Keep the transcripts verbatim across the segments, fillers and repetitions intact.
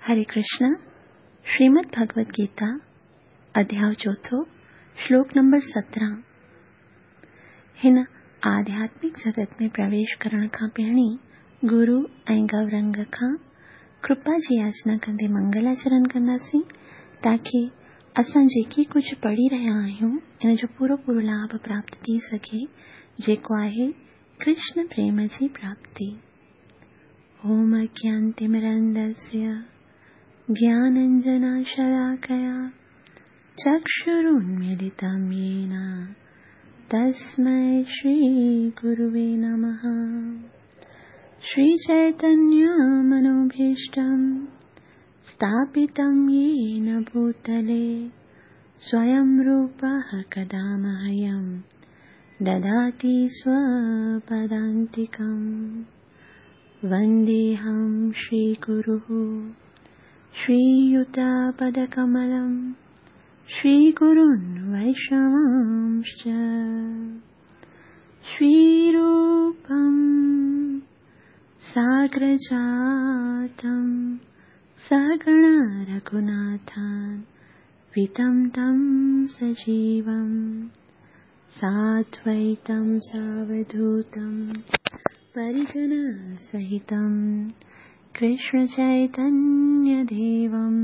हरे कृष्ण। श्रीमद् भगवद गीता अध्याय चोथों, श्लोक नंबर सत्रहं। हिन आध्यात्मिक जगत में प्रवेश करण खां पहिरीं गुरु ऐं गौरंग खां कृपा जी याचना कंदे मंगलाचरण कंदासीं, ताकी असां जेकी कुझु पढ़ी रहिया आहियूं इन जो पूरो पूरो लाभ प्राप्त थी सघे, जेको आहे कृष्ण प्रेम जी प्राप्ति। ओम अज्ञानतिमिरन्धस्य ज्ञानाञ्जनशलाकया चक्षुरुन्मीलितं येन तस्मै श्रीगुरुवे नमः। श्रीचैतन्यमनोभीष्टं स्थापितं येन भूतले स्वयं रूपः कदा मह्यं ददाति स्वपदान्तिकं। वन्देऽहं श्रीगुरुः श्रीयुतपदकमलं श्रीगुरुन् वैष्णवांश्च। श्रीरूपं साग्रजातं सहगण रघुनाथान् वितं तं सजीवं साद्वैतं सावधूतं परिजनसहितं कृष्ण चैतन्य देवं।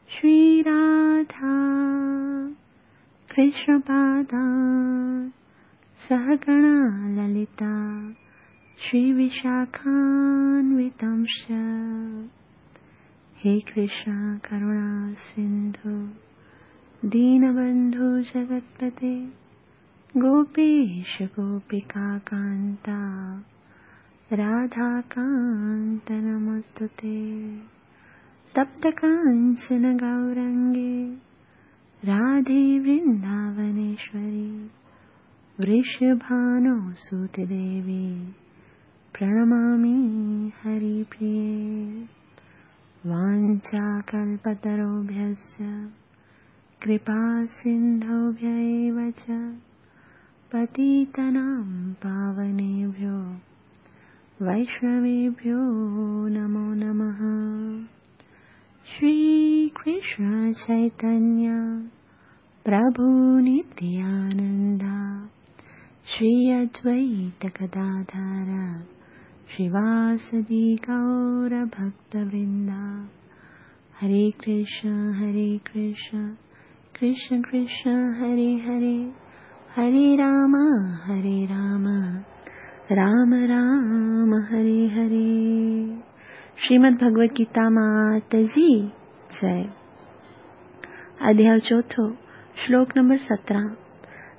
श्रीराधा कृष्णपादान् सहगणा ललिता श्रीविशाखान्वितंश्च। हे कृष्ण करुणा सिन्धु दीनबन्धु जगत्पते गोपेश गोपिकाकान्ता राधाकान्त नमोऽस्तुते। तप्तकाञ्चन गौरङ्गे राधे वृन्दावनेश्वरी वृषभानुसुते देवी प्रणमामि हरिप्रिये। वाञ्छाकल्पतरुभ्यश्च कृपासिन्धुभ्य एव च पतितानां पावनेभ्यो वैष्णवेभ्यो नमो नमः। श्री कृष्ण चैतन्य प्रभु नित्यानंदा श्री अद्वैत गदाधर श्रीवासदि गौर भक्तवृंदा। हरे कृष्ण हरे कृष्ण कृष्ण कृष्ण हरे हरे, हरे राम हरे राम राम राम हरे हरे। श्रीमद् भगवद गीता मात जी जय। अध्याय चोथों, श्लोक नंबर सत्रहं।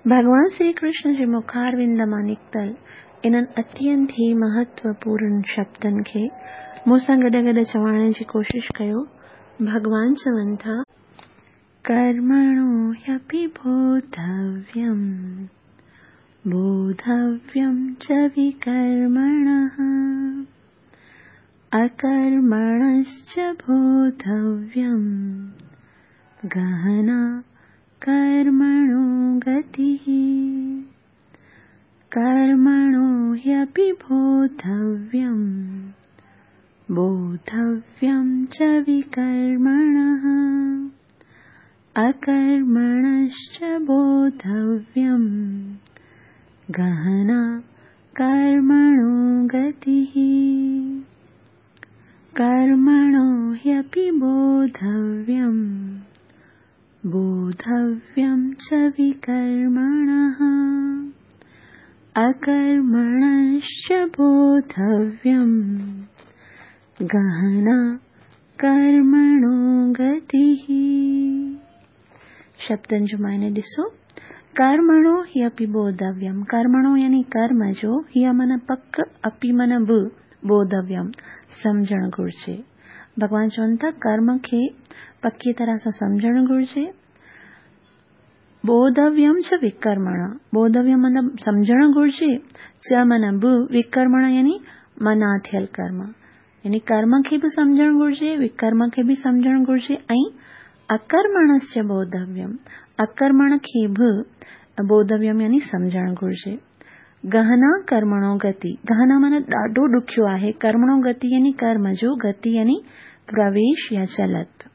भगवान श्री कृष्ण जे मुखारविंद मां निकितल इन्हनि अत्यंत ई महत्वपूर्ण शब्दनि खे मूं सां गॾु गॾु चवण जी कोशिश कयो। भगवान चवनि था, कर्मणो ह्यपि बोधव्यं बोधव्यं च विकर्मणः अकर्मणश्च बोधव्यं गहना कर्मणो गतिः। कर्मणो ह्यपि बोधव्यं बोधव्यं च विकर्मणः अकर्मणश्च बोधव्यं गहना कर्मणो गतिः। कर्मणो ह्यपि बोधव्यं बोधव्यं च विकर्मणः अकर्मणश्च बोधव्यं गहना कर्मणो गतिः। शब्दनि जो मायने ॾिसो, कर्मणो हि अपि बोधव्यं। कर्मणो यानी कर्म जो, हीअ माना पक, अपि माना बि, बोधव्यं सम्झणु घुर्जे। भॻवान चवनि था कर्म खे पकी तरह सां सम्झणु घुर्जे। बोधव्यं च विकर्मण, बोधव्यं माना सम्झणु घुर्जे, च माना बि, विकर्मण यानी मना थियल कर्म, यानी कर्म खे बि सम्झणु घुर्जे, विकर्म खे बि सम्झणु घुर्जे। ऐं अकर्मणस्य बोधव्यं, अकर्मण खे बि बोधव्यं यानी सम्झणु घुर्जे। गहना कर्मणो गति, गहना माना ॾाढो ॾुखियो आहे, कर्मणो गति यानी कर्म जो, गति यानी پرويش يا چلت.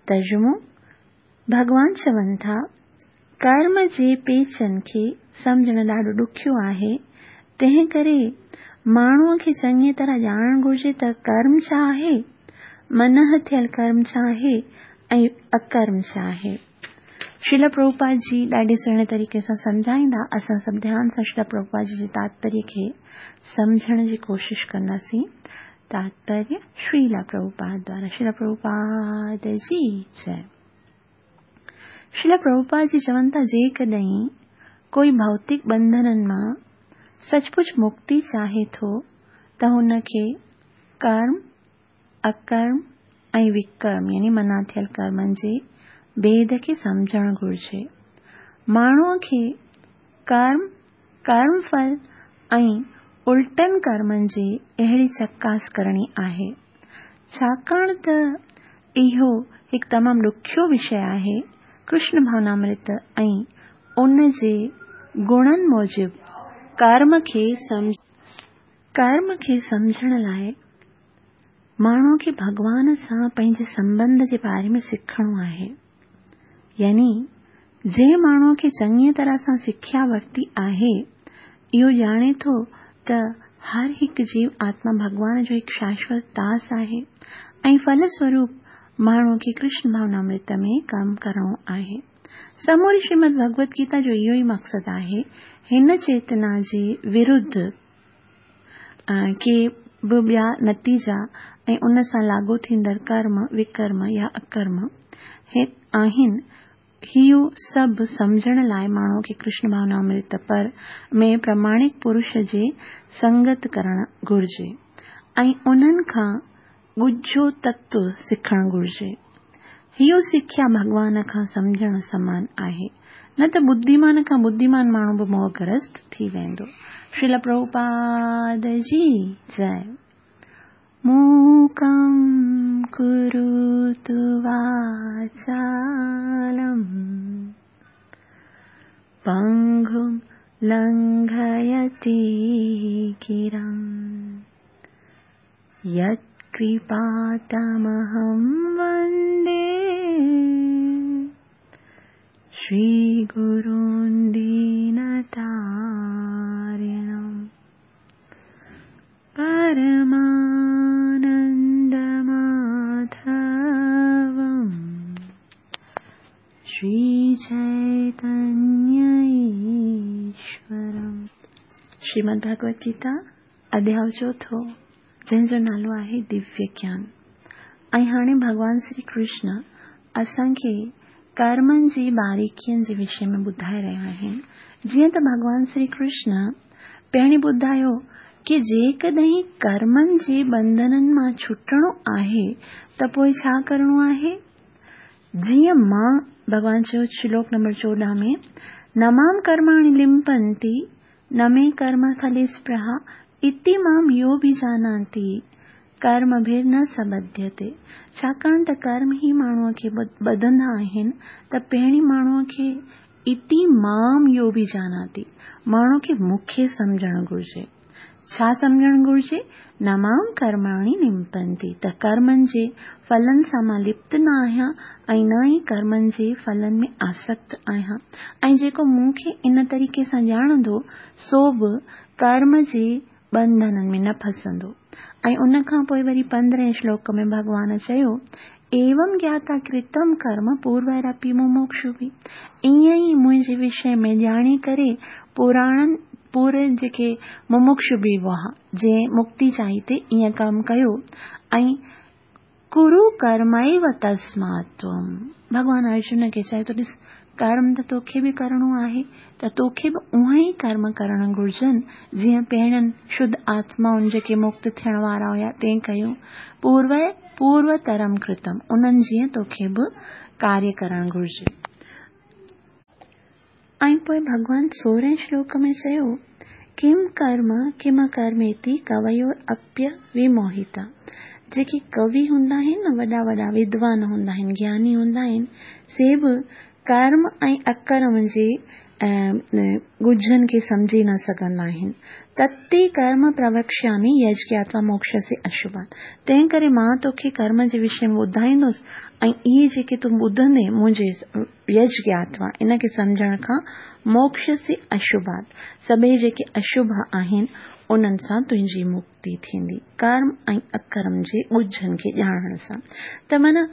ترجمو، ڀڳوان چون ٿا، ڪرم جي پيچن کي سمجهڻ ڏاڍو ڏکيو آهي، تنهن ڪري ماڻهوء کي چڱيء طرح ڄاڻڻ گهرجي ته ڪرم ڇا آهي، منع ٿيل ڪرم ڇا آهي ۽ اڪرم ڇا آهي. شريل پرڀوپاد جي ڏاڍي سهڻي طريقي سان سمجهائيندا. اسان سڀ ڌيان سان شريل پرڀوپاد جي تاتپريه کي سمجهڻ جي ڪوشش ڪنداسين. تاتپريه شريل پرڀوپاد دوارا. شريل پرڀوپاد جي جئي. شريل پرڀوپاد جي چون ٿا، جيڪڏهن ڪوئي ڀوتڪ ٻنڌنن مان سچ پچ مڪتي چاهي ٿو ته هن کي ڪرم، اڪرم ۽ وڪرم يعني منع ٿيل ڪرمن جي ڀيد کي سمجهڻ گهرجي. ماڻهوء کي ڪرم، ڪرم ڦل ۽ الٽن ڪرمن جي اهڙي چڪاس ڪرڻي آهي. ڇاڪاڻ ته اهو هڪ تمام ڏکيو وشي آهي، ڪرشن ڀاونامرت ۽ ان جي گڻن موجب ڪرم کي ڪرم کي سمجهڻ لاء ماڻهوء کي ڀڳوان سان پنهنجي سنٻنڌ جي باري ۾ سکڻو آهي. يعني جنهن ماڻهوء کي چڱيء طرح سان سکيا ورتي آهي، اهو ڄاڻي ٿو ته هر هڪ جيو آتما ڀڳوان جو هڪ شاشوت داس آهي ۽ ڦل سوروپ ماڻهوء کي ڪرشن ڀاونامرت ۾ ڪم ڪرڻو آهي. سموري شريمد ڀڳوت گيتا جو اهو ئي مقصد آهي. هن چيتنا جي ورڌ ڪي به ٻيا نتيجا ۽ ان سان لاڳو ٿيندڙ ڪرم، وڪرم يا اڪرم آهن، اهو سڀ سمجهڻ لاء ماڻهوء کي ڪرشن ڀاونامرت پر ۾ پراماڻڪ پرش جي سنگت ڪرڻ گهرجي ۽ انهن کان ڳجهو تتو سکڻ گهرجي. اهو سکيا ڀڳوان کان سمجهڻ سمان آهي، نه ته ٻڌيمان کان ٻڌيمان ماڻهو به موهگرست ٿي ويندو. شريل پرڀوپاد جي جئي. موڪم ڪروتु واچالم پنگم لنگهيتي گرم يتڪرپا تمهم وندي شري گرون دينتارڻم پرمانند ماڌوم شري چيتنيه ايشورم. شريمد ڀڳوت گيتا اڌياء چوٿون، جنهن جو نالو آهي دويه گيان. ۽ هاڻي ڀڳوان شري ڪرشن اسان کي ڪرمن جي باريڪين جي وشي ۾ ٻڌائي رهيا آهن. جيئن ته ڀڳوان شري ڪرشن پهرين ٻڌايو ڪي جيڪڏهن ڪرمن جي ٻنڌنن مان ڇٽڻو آهي ته پوء ڇا ڪرڻو آهي؟ جيئن مان، ڀڳوان چيو شلوڪ نمبر چوڏهن ۾، نه مام ڪرماڻي لمپنتي نه مي ڪرم ڦلي سپرها اتي مام يوڀيجاناتي ڪرمڀر نه سبڌيتي. ڇاڪاڻ ته ڪرم ئي ماڻهوء کي ٻڌندا آهن ته پهرين ماڻهوء کي اتي مام يوڀيجاناتي، ماڻهوء کي مون کي سمجهڻ گهرجي. ڇا سمجهڻ گهرجي؟ نه مام ڪرماڻي لمپنتي، ته ڪرمن جي ڦلن سان مان لپت نه آهيان ۽ نه ئي ڪرمن جي ڦلن ۾ آسڪت آهيان، ۽ جيڪو مون کي ان طريقي سان ڄاڻندو سو به ڪرم جي ٻنڌنن ۾ نه ڦسندو. ۽ ان کان پوء وري پندرهين شلوڪ ۾ ڀڳوان چيو، ايوم گياتا ڪرتم ڪرم پورويرپي مموڪشوڀي، ائين ئي منهنجي وشي ۾ ڄاڻي ڪري پراڻن پورن جيڪي مموڪشوڀي هئا، جنهن مڪتي چاهي تي ائين ڪم ڪيو. ۽ ڪرو ڪرميو تسمات تم، ڀڳوان ارجن کي چيو ته ڏس، ڪرم ته توکي به ڪرڻو آهي، ته توکي به اهي ئي ڪرم ڪرڻ گهرجن جيئن پهرين شڌ آتمائن جيڪي مڪت ٿيڻ وارا هيا تنهن ڪيون. پوروي پوروترم ڪرتم، انهن جيئن توکي به ڪاريه ڪرڻ گهرجي. ۽ پوء ڀڳوان سورهين شلوڪ ۾ چيو، ڪم ڪرم ڪم ڪرميتي ڪويور اپيه وموهتا، جيڪي ڪوي هوندا آهن نه، وڏا وڏا ودوان هوندا آهن، گياني هوندا آهن، سي به ڪرم ۽ اڪرم جي ڳجهن کي سمجهي نه سگهندا آهن. تتي ڪرم پروڪشيامي يجگياتوا موڪشسي اشڀات. تنهن ڪري مان توکي ڪرم جي وشي ۾ ٻڌائيندس ۽ اهي جيڪي تون ٻڌندين منهنجي يجگياتوا ان کي سمجهڻ کان موڪشسي اشڀات سڀئي جيڪي اشڀ آهن انهن سان تنهنجي مڪتي ٿيندي. ڪرم ۽ اڪرم جي ڳجهن کي ڄاڻڻ سان. ته معنيٰ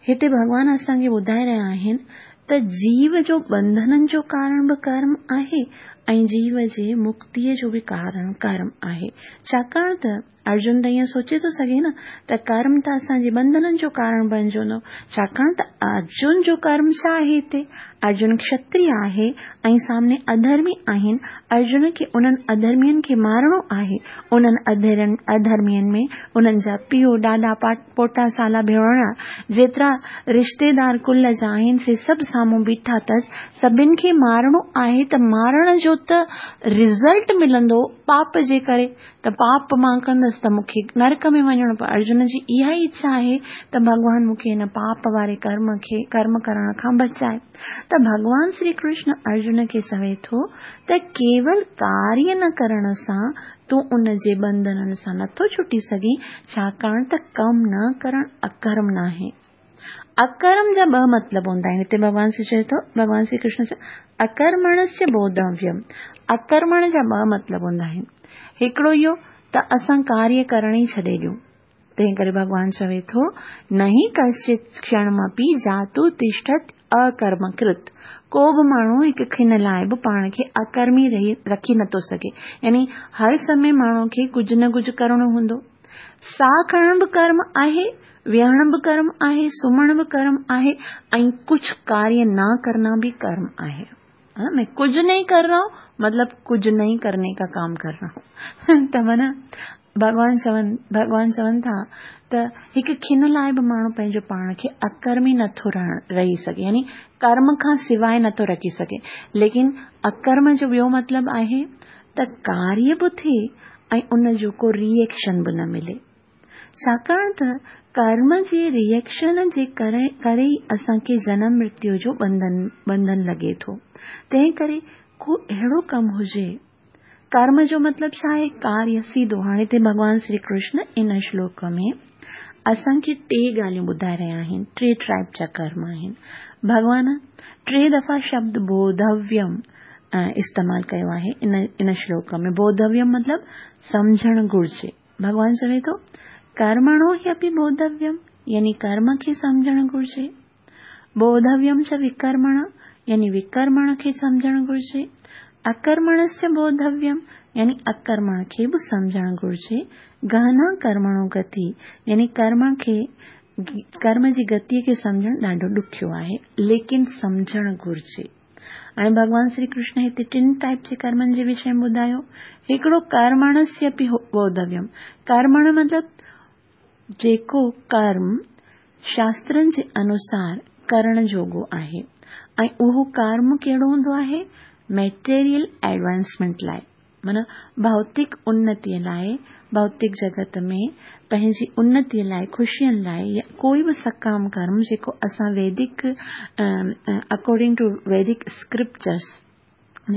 هتي ڀڳوان اسان کي ٻڌائي رهيا آهن ته جيو جو ٻنڌنن جو ڪارڻ به ڪرم آهي ۽ جيو جي مڪتيءَ جو به ڪارڻ ڪرم آهي. ڇاڪاڻ ته ارجن ته ائين سوچي ٿو سگهي نه ته ڪرم ته اسان جي ٻنڌنن جو ڪارڻ بڻجندو. ڇاڪاڻ ته ارجن جو ڪرم ڇا آهي؟ هتي ارجن کشتريه آهي ۽ سامني اڌرمي آهن. ارجن کي انهن اڌرمين کي مارڻو آهي. انهن اڌرن اڌرمين ۾ انهن جا پيءُ ڏاڏا پوٽا سالا ڀيڻ جيترا رشتيدار ڪل جا آهن سي سڀ سامهون بيٺا اٿس. سڀني کي مارڻو آهي ته مارڻ جو ته رزلٽ ملندو پاپ جي ڪري، ته پاپ مان ڪندس ته مون کي نرڪ ۾ وڃڻو پوندو. ارجن جي اها ئي اڇا آهي ته ڀڳوان مون کي هن پاپ واري ڪرم کي ڪرم ڪرڻ کان بچائي. ته ڀڳوان شري ڪرشن ارجن کي چوي ٿو ته ڪيول ڪاريه نه ڪرڻ سان تون ان جي ٻنڌنن سان نٿو ڇٽي سگهين، ڇاڪاڻ ته ڪم نه ڪرڻ اڪرم ناهي. اڪرم جا ٻه مطلب هوندا آهن. هتي ڀڳوان شري چوي ٿو، ڀڳوان شري ڪرشن چوي اڪرمڻسيه بوڌويم. اڪرمڻ جا ٻه مطلب هوندا آهن. هڪڙو اهو ته اسان ڪاريه ڪرڻ ئي ڇڏي ڏيون. تنهن ڪري ڀڳوان چوي ٿو نهي ڪشچت ڪشڻمپي جاتو تشٺت اڪرمڪرت. ڪو به ماڻهو هڪ کن لاءِ به پاڻ کي اڪرمي رهي رکي نٿو سگهي. يعني هر سمي ماڻهو کي ڪجهه نه ڪجهه ڪرڻو هوندو. ساهه کڻڻ به ڪرم آهي، ويهڻ به ڪرم آهي، سمهڻ به ڪرم آهي ۽ ڪجهه ڪاريه نه ڪرنا به ڪرم آهي. ها، मैं कुछ नहीं कर रहा हूँ मतलब कुछ नहीं करने का काम कर रहा हूँ. ته معنيٰ ڀڳوان چون ڀڳوان چون ٿا ته هڪ کن لاءِ به ماڻهو پنهنجو پاڻ کي اڪرمي نٿو رهڻ رهي سگهي، يعني ڪرم کان سواءِ نٿو رکي سگهي. ليڪن اڪرم جو ٻيو مطلب آهي ته ڪاريه به ٿئي ۽ ان جو ڪو ري ايڪشن به نه ملي. ڇاڪاڻ ته ڪرم جي ري ايڪشن جي ڪري ڪري ئي اسان کي جنم مرتيو جو ٻنڌن ٻنڌن لڳي ٿو. تنهن ڪري ڪو اهڙو ڪم هجي. ڪرم جو مطلب ڇا آهي؟ ڪاريه سيڌو. هاڻي هتي ڀڳوان شري ڪرشن ان شلوڪ ۾ اسان کي ٽي ڳالهيون ٻڌائي رهيا آهن. ٽي ٽائپ جا ڪرم آهن. ڀڳوان ٽي دفعا شبد بوڌويم استعمال ڪيو آهي ان ان شلوڪ ۾. بوڌويم مطلب سمجهڻ گهرجي. ڀڳوان چوي ٿو ڪرمڻو هي بوڌويم، يعني ڪرم کي سمجهڻ گهرجي. بوڌويم چ وڪرمڻ، يعني وڪرمڻ کي سمجهڻ گهرجي. اڪرمڻسچ بوڌويم، يعني اڪرمڻ کي به سمجهڻ گهرجي. گهنا ڪرمڻو گتي، يعني ڪرم کي ڪرم جي گتيءَ کي سمجهڻ ڏاڍو ڏکيو آهي، ليڪن سمجهڻ گهرجي. هاڻي ڀڳوان شري ڪرشن هتي ٽن ٽائپ جي ڪرمن جي وشي ۾ ٻڌايو. هڪڙو ڪرمڻسيه اپي بوڌويم. ڪرمڻ مطلب جيڪو ڪرم شاسترن جي انوسار ڪرڻ جوڳو آهي ۽ اهو ڪرم ڪهڙو هوندو آهي؟ ميٽيريل ايڊوانسمينٽ لاءِ، معنيٰ ڀوتڪ انتيءَ لاءِ، ڀوتڪ جڳت ۾ پنهنجي انتيءَ لاءِ، خوشين لاءِ، يا ڪوئي به سڪام ڪرم جيڪو اسان ويدڪ اڪارڊنگ ٽو ويدڪ اسڪرپچرس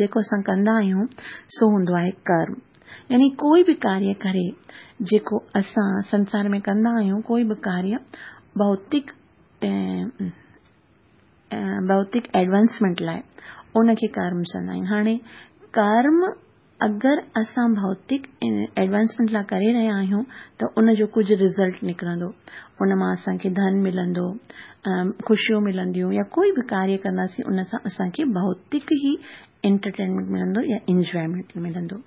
جيڪو اسان ڪندا آهيون سو هوندو آهي ڪرم. يعني ڪوئي به ڪاريه ڪري جيڪو اسان سنسار ۾ ڪندا آهيون، ڪوئي به ڪاريه ڀوتڪ ڀوتڪ ايڊوانسمينٽ لاءِ، ان کي ڪرم چوندا آهن. هاڻي ڪرم اگر اسان ڀوتڪ ايڊوانسمينٽ لاءِ ڪري رهيا آهيون ته ان جو ڪجهه رزلٽ نڪرندو، ان مان اسان کي ڌن ملندو، خوشيون ملنديون، يا ڪوئي به ڪاريه ڪنداسين ان سان اسان کي ڀوتڪ ئي انٽرٽينمينٽ ملندو يا انجوائمينٽ ملندو.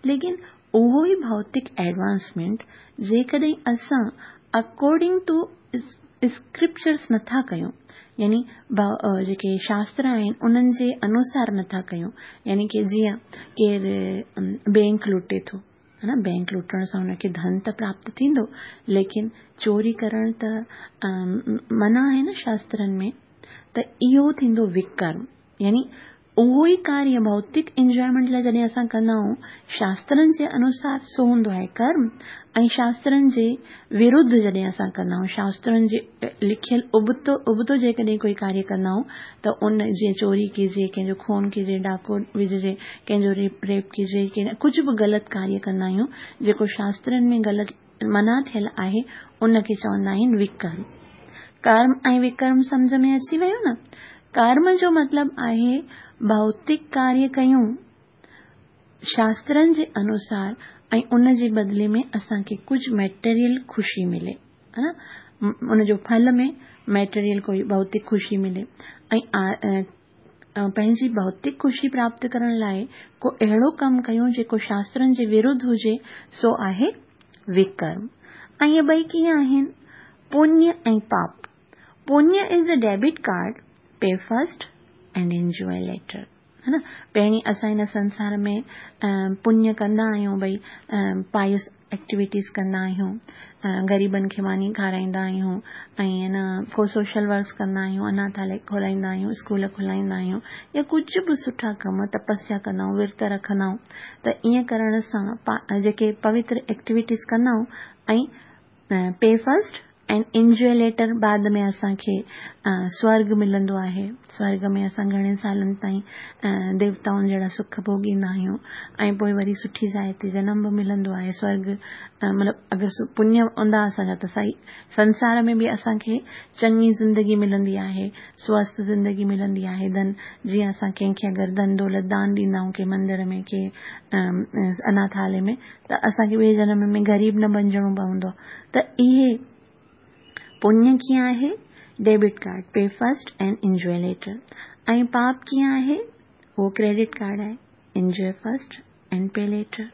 ليڪن اهو ئي ڀوتڪ ايڊوانسمينٽ جيڪڏهن اسان اڪارڊنگ ٽو اسڪرپچرس نٿا ڪيون، يعني جيڪي شاستر آهن انهن جي انوسار نٿا ڪيون، يعني ڪه جيئن ڪير بينڪ لٽي ٿو، ها نه، بينڪ لٽڻ سان هن کي ڌن ته پراپت ٿيندو، ليڪن چوري ڪرڻ ته منع آهي نه شاسترن ۾، ته اهو ٿيندو وڪرم. يعني اهو ئي ڪاريه ڀوتڪ انجوائمينٽ لاءِ جڏهن اسان ڪندا آهيون شاسترن جي انوسار سو هوندو آهي ڪرم، ۽ شاسترن جي ورڌ جڏهن اسان ڪندا آهيون، شاسترن جي لکيل ابتو ابتو جيڪڏهن ڪوئي ڪاريه ڪندا آهيون ته ان جيئن چوري ڪجي، ڪنهن جو خون ڪجي، ڊاڪو وجهجي، ڪنهن جو ريپ ريپ ڪجي، ڪجهه به غلط ڪاريه ڪندا آهيون جيڪو شاسترن ۾ غلط منع ٿيل آهي، ان کي چوندا آهن وڪرم. ڪرم ۽ وڪرم سمجهه ۾ اچي ويو نه؟ ڪرم جو مطلب آهي ڀوتڪ ڪاريه ڪيون شاسترن جي انوسار ۽ ان جي بدلي ۾ اسان کي ڪجهه ميٽيريل خوشي ملي، ها نه، ان جو ڦل ۾ ميٽيريل ڪوئي ڀوتڪ خوشي ملي، ۽ پنهنجي ڀوتڪ خوشي پراپت ڪرڻ لاءِ ڪو اهڙو ڪم ڪيون جيڪو شاسترن جي ورڌ هجي، سو آهي وڪرم. ۽ اهي ٻئي ڪيئن آهن؟ پڃ ۽ پاپ. پڃ is a debit card, pay first and enjoy later, ها نه. پهرين اسان هن سنسار ۾ پڃ ڪندا آهيون، ڀئي پائس ايڪٽيوٽيز ڪندا آهيون، غريبن کي ماني کارائيندا آهيون، ۽ نه ڪو سوشل ورڪس ڪندا آهيون، اناٿاليه کولائيندا آهيون، اسڪول کولائيندا آهيون، يا ڪجهه به سٺا ڪم، تپسيا ڪندا آهيون، ورت رکندا آهيون. ته ائين ڪرڻ سان جيڪي پوتر ايڪٽيوٽيز ڪندا آهيون ۽ pay first and enjoy later, بعد ۾ اسان کي سورڳ ملندو آهي. سورڳ ۾ اسان گهڻي سالن تائين ديوتائن جهڙا سک ڀوڳيندا آهيون، ۽ پوءِ وري سٺي جاءِ تي جنم به ملندو آهي. سورڳ مطلب اگر پڃ هوندا اسان جا ته صحيح سنسار ۾ به اسان کي چڱي زندگي ملندي آهي، سوسٿ زندگي ملندي آهي. ڌن جيئن اسان ڪنهن کي اگر ڌن دولت دان ڏيندا آهيون، ڪنهن مندر ۾، ڪنهن اناٿاليه ۾، ته اسان کي ٻئي جنم ۾ غريب نه بڻجڻو پوندو آهي. ته اهي پڃ ڪيئن آهي؟ Debit card, pay first and enjoy later. ۽ پاپ ڪيئن آهي؟ اهو ڪريڊٽ ڪارڊ آهي، enjoy first and pay later.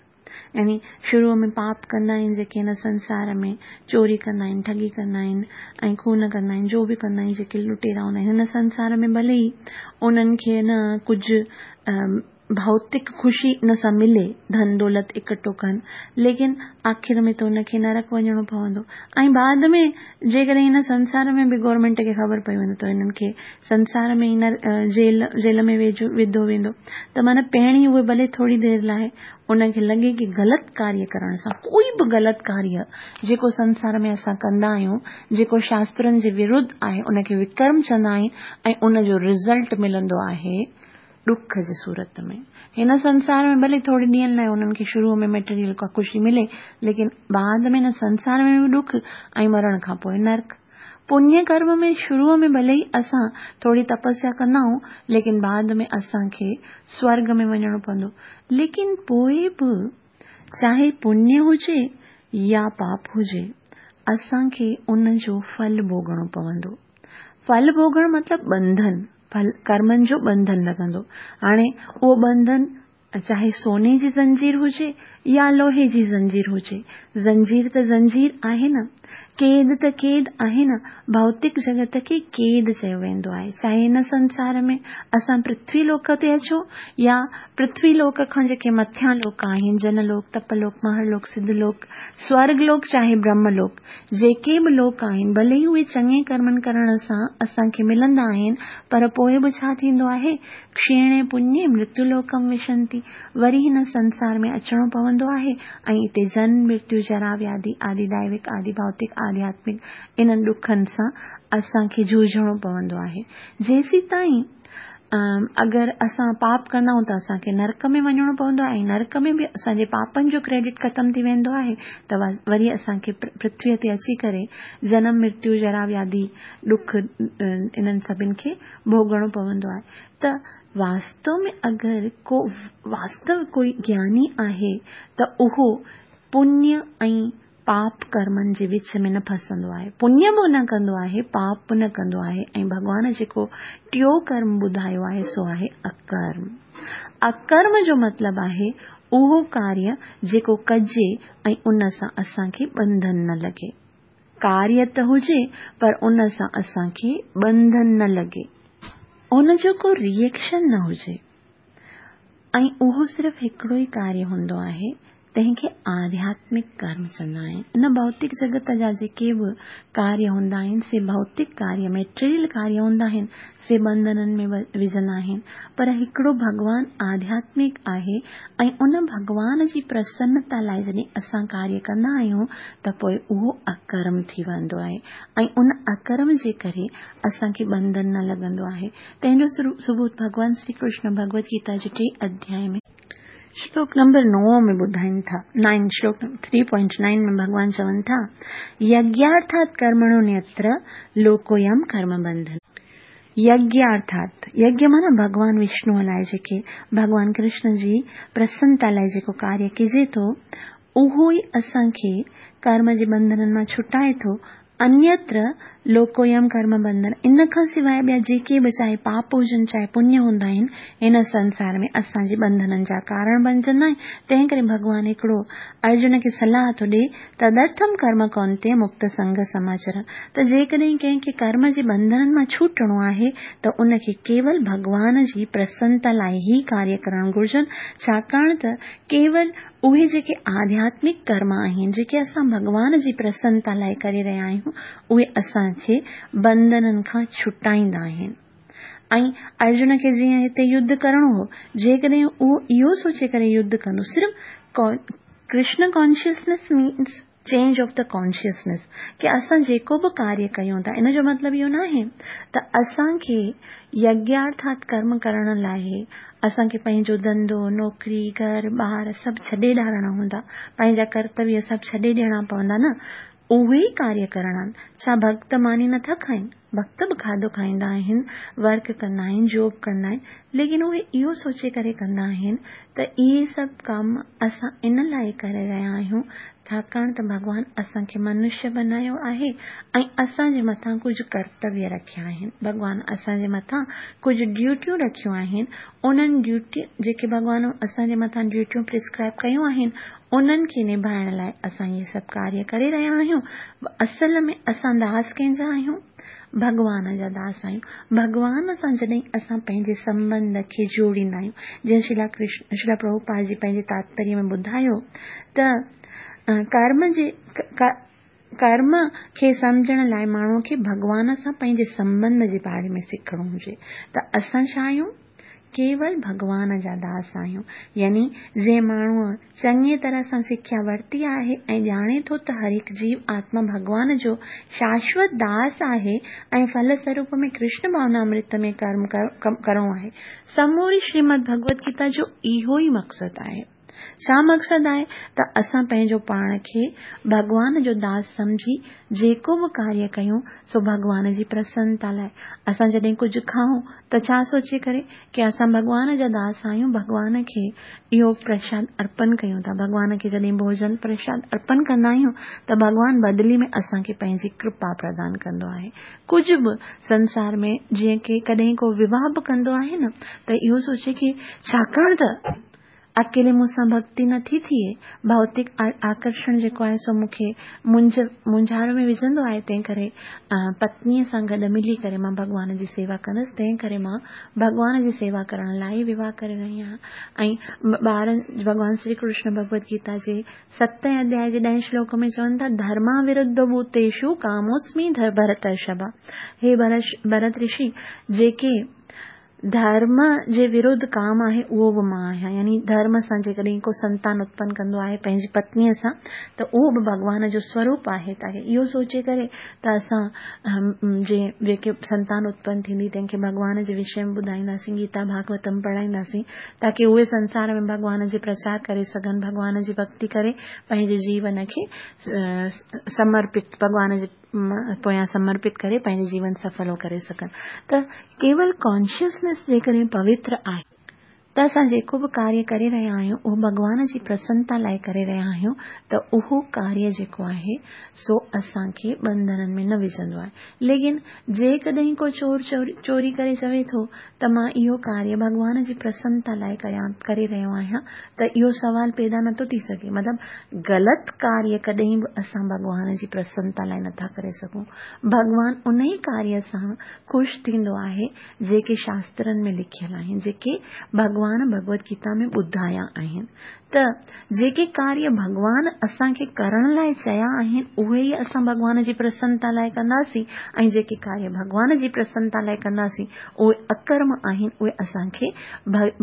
يعني شروع ۾ پاپ ڪندا آهن جيڪي هن سنسار ۾ چوري ڪندا آهن، ٺڳي ڪندا آهن ۽ خون ڪندا آهن، جو به ڪندا آهن، جيڪي لٽيرا هوندا آهن هن سنسار ۾ ڀلي ئي انهن کي نه ڪجهه ڀوتڪ خوشي ان سان ملي، ڌن دولت اڪٺو ڪن، ليڪن آخر ۾ ته ان کي نرڪ وڃڻو پوندو. ۽ بعد ۾ جيڪڏهن هن سنسار ۾ به گورنمينٽ کي خبر پئي وڃي ته هنن کي سنسار ۾ ئي جيل جيل ۾ ويجهو وڌو ويندو. ته معنيٰ پهرين اهي ڀلي ٿوري دير لاءِ ان کي لڳي ڪه غلط ڪاريه ڪرڻ سان، ڪوئي به غلط ڪاريه جيڪو سنسار ۾ اسان ڪندا آهيون، جيڪو شاسترن جي ورڌ آهي، ان کي وڪرم چوندا آهن، ۽ ان جو رزلٽ ملندو آهي ڏک جي صورت ۾. هن سنسار ۾ ڀلي ٿوري ڏينهن لاءِ انهن کي شروع ۾ ميٽيريل ڪا خوشي ملي، ليڪن بعد ۾ هن سنسار ۾ به ڏک ۽ مرڻ کان پوءِ نرڪ. پڃ ڪرم ۾ شروع ۾ ڀلي ئي اسان ٿوري تپسيا ڪندا آهيون، ليڪن بعد ۾ اسان کي سورڳ ۾ وڃڻو پوندو. ليڪن پوءِ به چاهي پڃ هجي يا پاپ هجي، اسان کي ان جو ڦل ڀوڳڻو پوندو. ڦل ڀوڳڻ مطلب ٻنڌن، ڦل ڪرمن جو ٻنڌن لڳندو. هاڻي اهو ٻنڌن چاهي سوني جي زنجير هجي يا لوهي جي زنجير هجي، زنجير ته زنجير آهي نه، قيد ته قيد آهي نه. ڀوتڪ جڳت کي قيد چيو ويندو آهي. چاهي هن سنسار ۾ اسان پرٿوي لوڪ تي اچون يا پرٿوي لوڪ کان جيڪي مٿيان لوڪ آهن، جن لوڪ، تپ لوڪ، مهر لوڪ، سڌ لوڪ، سورڳ لوڪ، چاهي برهم لوڪ، جيڪي به لوڪ آهن، ڀلي ئي اهي چڱي ڪرمن ڪرڻ سان اسان کي ملندا آهن، پر پوءِ به ڇا ٿيندو آهي؟ ڪشيڻي پڃي مرتيو لوڪم وشنتي، وري هن سنسار ۾ اچڻو پوندو آهي ۽ هتي جنم مرتيو جرا وياڌي آدي دائوڪ آدي ڀوتڪ آڌياتمڪ انهن ڏکن سان اسان کي جوجهڻو پوندو آهي. جيسين تائين اگر اسان پاپ ڪندا آهيون ته اسان کي نرڪ ۾ وڃڻو پوندو آهي، ۽ نرڪ ۾ به اسان جي پاپن جو ڪريڊٽ ختم ٿي ويندو آهي ته وري اسان کي پرٿويءَ تي اچي ڪري جنم مرتيو جرا وياڌي ڏک انهن سڀني کي ڀوڳڻو پوندو آهي. ته واستو ۾ اگر ڪو واستو ڪوئي گياني آهي ته اهو پڃ ۽ پاپ ڪرمن جي وچ ۾ نه ڦسندو آهي، پڃ به نه ڪندو آهي، پاپ به نه ڪندو آهي. ۽ ڀڳوان جيڪو ٽيون ڪرم ٻڌايو آهي سو آهي اڪرم. اڪرم جو مطلب آهي اهو ڪاريه جيڪو ڪجي ۽ ان سان اسان کي ٻنڌن نه لڳي. ڪاريه ته هجي پر ان سان اسان کي ٻنڌن نه لڳي، ان جو ڪو ري ايڪشن نه هجي، ۽ اهو صرف هڪڙو ئي ڪاريه هوندو آهي तंहिंखे आध्यात्मिक कर्म चवंदा आहिनि। इन भौतिक जगत जा जेके बि कार्य हूंदा आहिनि से भौतिक कार्य, मेटीरियल कार्य हूंदा आहिनि, से बंधननि में विझंदा आहिनि। पर हिकिड़ो भॻवान आध्यात्मिक आहे ऐं उन भॻवान जी प्रसन्नता लाइ जॾहिं असां कार्य कंदा आहियूं त पोइ उहो अकर्म थी वेंदो आहे ऐं उन अकर्म जे करे असांखे बंधन न लॻंदो आहे। तंहिंजो सबूत भॻवान श्री कृष्ण भगवद गीता जे टे अध्याय में श्लोक नंबर नौ में ॿुधाइनि था, नाइन श्लोक थ्री पॉइंट नाइन में भॻवान चवनि था, यज्ञार्थात् कर्मणोऽन्यत्र लोकोऽयं कर्म बंधन। यज्ञार्थात्, यज्ञ माना भॻवान विष्णुअ लाइ जेके भॻवान कृष्ण जी प्रसन्नता लाइ जेको कार्य कजे थो उहो ई असांखे कर्म जे बंधननि मां छुटाए थो। अन्यत्र लोकोऽयं कर्म बंधन, इन खां सवाइ ॿिया जेके बि चाहे पाप हुजनि चाहे पुण्य हूंदा आहिनि, हिन संसार में असांजे बंधननि जा कारण बणजंदा आहिनि। तंहिं करे भॻवान हिकिड़ो अर्जुन खे सलाह थो ॾिए, तदर्थम कर्म कौन्तेय मुक्त संग समाचर, त जेकॾहिं कंहिंखे कर्म जे बंधननि मां छूटणो आहे त उनखे केवल भॻवान जी प्रसन्नता लाइ ई कार्य करणु घुर्जनि, छाकाणि त केवल उहे जेके आध्यात्मिक कर्म आहिनि जेके असां भॻवान जी प्रसन्नता लाइ करे रहिया आहियूं उहे असांखे बंधननि खां छुटाईंदा आहिनि। ऐं अर्जुन खे जीअं हिते युद्ध करिणो हो, जेकॾहिं उहो इहो सोचे करे युद्ध कंदो, सिर्फ़ Krishna consciousness means change of the consciousness, की असां जेको बि कार्य कयूं था इन जो मतिलबु इहो न आहे त असांखे यज्ञार्थात कर्म करण लाइ असांखे पंहिंजो धंधो, नौकिरी, घर ॿार सभु छॾे ॾारणा हूंदा, पंहिंजा कर्तव्य सभु छॾे ॾियणा पवंदा, न, उहे ई कार्य करणा आहिनि। छा भक्त मानी नथा खाइनि? भक्त बि खाधो खाईंदा आहिनि, वर्क कंदा आहिनि, जॉब कंदा आहिनि, लेकिन उहे इहो सोचे करे कंदा आहिनि त इहे सभु कम असां इन लाइ करे रहिया आहियूं छाकाणि त भॻवान असांखे मनुष्य बनायो आहे ऐं असांजे मथां कुझु कर्तव्य रखिया आहिनि, भॻवान असांजे मथां कुझु ड्यूटियूं रखियूं आहिनि। उन्हनि ड्यूटी जेके भॻवान असांजे मथां ड्यूटियूं प्रिस्क्राइब कयूं आहिनि उन्हनि खे निभाइण लाइ असां इहे सभु कार्य करे रहिया आहियूं। असल में असां दास कंहिंजा आहियूं? भॻवान जा दास आहियूं। भॻवान सां जॾहिं असां पंहिंजे संबंध खे जोड़ींदा आहियूं, जीअं शिला कृष्ण शिला प्रभुपाद जी पंहिंजे तात्पर्य में ॿुधायो त कर्म जे कर्म खे सम्झण लाइ माण्हूअ खे भॻवान सां पंहिंजे संबंध जे बारे में सिखणो हुजे त असां छा आहियूं? केवल भॻवान जा दास आहियूं। यानी जंहिं माण्हूअ चङी तरह सां सिख्या वरिती आहे ऐं ॼाणे थो त हर हिकु जीव आत्मा भॻवान जो शाश्वत दास आहे ऐं फल स्वरूप में कृष्ण भावनामृत में कर्म करिणो आहे। समूरी श्रीमद भगवद गीता जो इहो ई मक़सदु आहे। छा मक़सदु आहे? त असां पंहिंजो पाण खे भॻवान जो दास सम्झी जेको बि कार्य कयूं सो भॻवान जी प्रसन्नता लाइ। असां जॾहिं कुझु खाऊं त छा सोचे करे की असां भॻवान जा दास आहियूं, भॻवान खे इहो प्रसाद अर्पण कयूं था। भॻवान खे जॾहिं भोजन प्रसाद अर्पण कंदा आहियूं त भॻवान बदिली में असांखे पंहिंजी कृपा प्रदान कंदो आहे। कुझु बि संसार में जीअं की कॾहिं को विवाह बि कंदो आहे न त इहो सोचे की छाकाणि त अकेले मूंसां भक्ति नथी थिए, भौतिक आकर्षण जेको आहे सो मूंखे मुंझ मुंझारो में विझंदो आहे, तंहिं करे पत्नीअ सां गॾु मिली करे मां भॻवान जी सेवा कंदुसि, तंहिं करे मां भॻवान जी सेवा करण लाइ विवाह करे रही आहियां। ऐं ॿारनि भॻवान श्री कृष्ण भगवद गीता जे सतें अध्याय जे ॾहें श्लोक में चवनि था, धर्मा विरुद्ध भूतेषु कामोस्मि भरतर्षभ। हे भरत ऋषि, जेके धर्म जे विरुद्ध काम आहे उहो बि मां आहियां। यानी धर्म सां जेकॾहिं को संतान उत्पन्न कंदो आहे पंहिंजी पत्नीअ सां त उहो बि भॻवान जो स्वरूप आहे। ताकी इहो सोचे करे त असां जे जेके संतान उत्पन्न थींदी तंहिंखे भॻवान जे विषय में ॿुधाईंदासीं, गीता भागवतम पढ़ाईंदासीं, ताकी उहे संसार में भॻवान जे प्रचार करे सघनि, भॻवान जी भक्ति करे पंहिंजे जीवन खे समर्पित भॻवान जे पोयां समर्पित करे पंहिंजो जीवन सफलो करे सघनि। त केवल कॉन्शियसनेस जेकॾहिं पवित्र आहे त असां जेको बि कार्य करे रहिया आहियूं उहो भॻवान जी प्रसन्नता लाइ करे रहिया आहियूं त उहो कार्य जेको आहे सो असांखे बंधननि में न विझंदो आहे। लेकिन जेकॾहिं को चोर चोरी करे चवे थो त मां इहो कार्य भॻवान जी प्रसन्नता लाइ कयां करे रहियो आहियां त इहो सवाल पैदा नथो थी सघे। मतिलबु ग़लति कार्य कॾहिं बि असां भॻवान जी प्रसन्नता लाइ नथा करे सघूं। भॻवान उन ई कार्य सां ख़ुशि थींदो आहे जेके शास्त्रनि में लिखियलु आहिनि, जेके भॻवान ڀڳوان ڀڳوت گيتا ۾ ٻڌايا آهن. ته جيڪي ڪاريه ڀڳوان اسان کي ڪرڻ لاءِ چيا آهن اهي ئي اسان ڀڳوان جي پرسنتا لاءِ ڪنداسين ۽ جيڪي ڪاريه ڀڳوان جي پرسنتا لاءِ ڪنداسين اهي اڪرم آهن، اهي اسان کي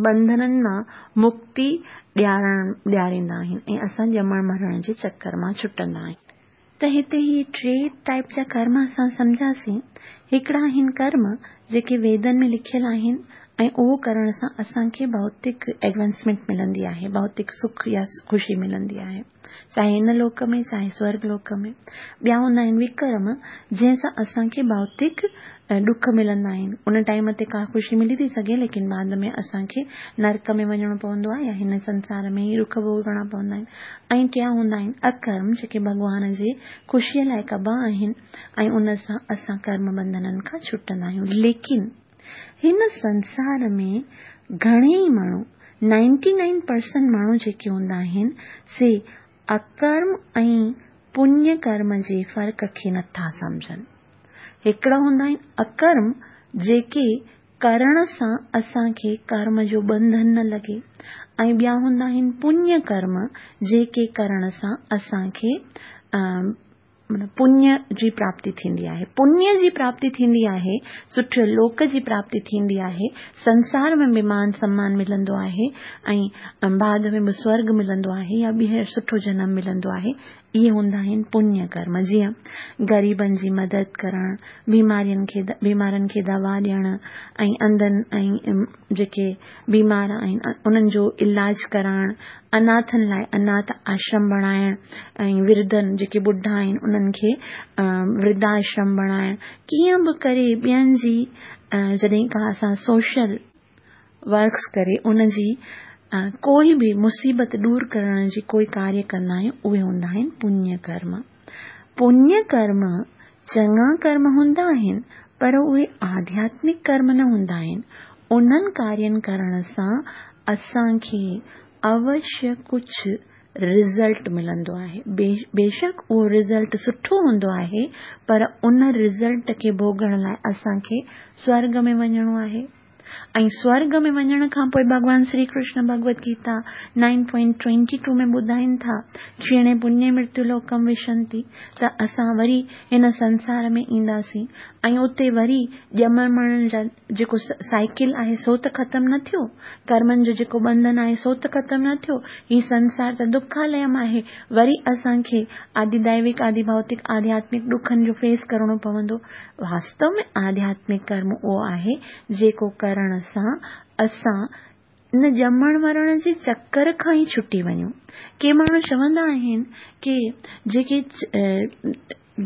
ٻنڌنن مان مڪتي ڏيارڻ ڏياريندا آهن ۽ اسان ڄمڻ مرڻ جي چڪر مان ڇٽندا آهيون. ته هتي هي ٽي ٽائيپ جا ڪرم اسان سمجهاسين. هڪڙا آهن ڪرم جيڪي ويدن ۾ لکيل آهن ۽ اهو ڪرڻ سان اسان کي ڀوتڪ ايڊوانسمينٽ ملندي آهي، ڀوتڪ سک يا خوشي ملندي آهي، چاهي هن لوڪ ۾ چاهي سورڳ لوڪ ۾. ٻيا هوندا آهن وڪرم جنهن سان اسان کي ڀوتڪ ڏک ملندا آهن. ان ٽائيم تي ڪا خوشي ملي ٿي سگهي ليڪن بعد ۾ اسان کي نرڪ ۾ وڃڻو پوندو آهي يا هن سنسار ۾ ئي ڏک ڀوڳڻا پوندا آهن. ۽ ٽيان هوندا آهن اڪرم جيڪي ڀڳوان جي خوشيءَ لاءِ ڪبا آهن ۽ ان سان اسان ڪرم ٻنڌنن کان ڇٽندا آهيون. ليڪن هن سنسار ۾ گهڻي ئي ماڻهو نائنٽي نائن پرسنٽ ماڻهو جيڪي هوندا آهن سي اڪرم ۽ پڃ ڪرم جي فرق کي نٿا سمجهن. هڪڙا هوندا آهن اڪرم جيڪي ڪرڻ سان اسان کي ڪرم جو ٻنڌن نه لڳي ۽ ٻيا هوندا آهن پڃ ڪرم جيڪي ڪرڻ سان اسان کي پڃ جي پراپتي ٿيندي آهي. پڃ جي پراپتي ٿيندي آهي، سٺي لوڪ جي پراپتي ٿيندي آهي، سنسار ۾ به مان سمان ملندو آهي ۽ بعد ۾ به سورڳ ملندو آهي يا ٻيهر سٺو جنم ملندو آهي. اهي هوندا آهن پڃ ڪرم، جيئن غريبن جي مدد ڪرڻ، بيمارين کي بيمارن کي دوا ڏيڻ ۽ انڌن ۽ جيڪي بيمار آهن انهن جو علاج ڪرائڻ، اناٿن لاءِ اناٿ آشرم بڻائڻ ۽ ورڌن جيڪي ٻڍا آهن انهن کي ورڌ آشرم بڻائڻ. ڪيئن به ڪري ٻين جي جڏهن ڪا اسان سوشل ورڪس ڪري ان جي ڪوئي به مصيبت دور ڪرڻ جي ڪوئي ڪاريه ڪندا آهيون اهي هوندا آهن پڃ ڪرم. پڃ ڪرم چڱا ڪرم هوندا آهن پر اهي آڌياتمڪ ڪرم نه هوندا آهن. انهن ڪارين ڪرڻ سان اسان کي اوشيه ڪجهه رزلٽ ملندو آهي. بيشڪ اهو رزلٽ سٺو هوندو آهي پر ان رزلٽ کي ڀوڳڻ لاءِ اسان کي سورڳ ۾ وڃڻو آهي ۽ سورڳ ۾ وڃڻ کان پوءِ ڀڳوان Shri Krishna Bhagwat Gita nine point twenty two ۾ ٻڌائين ٿا ڪشيڻي پڃي مرتيو لوڪم وشنتي، ته اسان وري هن سنسار ۾ اينداسين ۽ اتي وري ڄمڻ مرڻ جا جيڪو سائيڪل آهي سو ته ختم نه ٿيو، ڪرمن جو جيڪو ٻنڌن آهي سو ته ختم نه ٿيو، هي سنسار ته دکاليم آهي، وري اسان کي آدي دئوڪ آدي ڀوتڪ آڌياتمڪ ڏکن جو فيس ڪرڻو پوندو. واستو ۾ آڌياتمڪ ڪرم اهو آهي جيڪو ڪرڻ سان اسان ان ڄمڻ مرڻ جي چڪر کان ئي ڇٽي وڃون. ڪي ماڻهو چوندا آهن ڪه جيڪي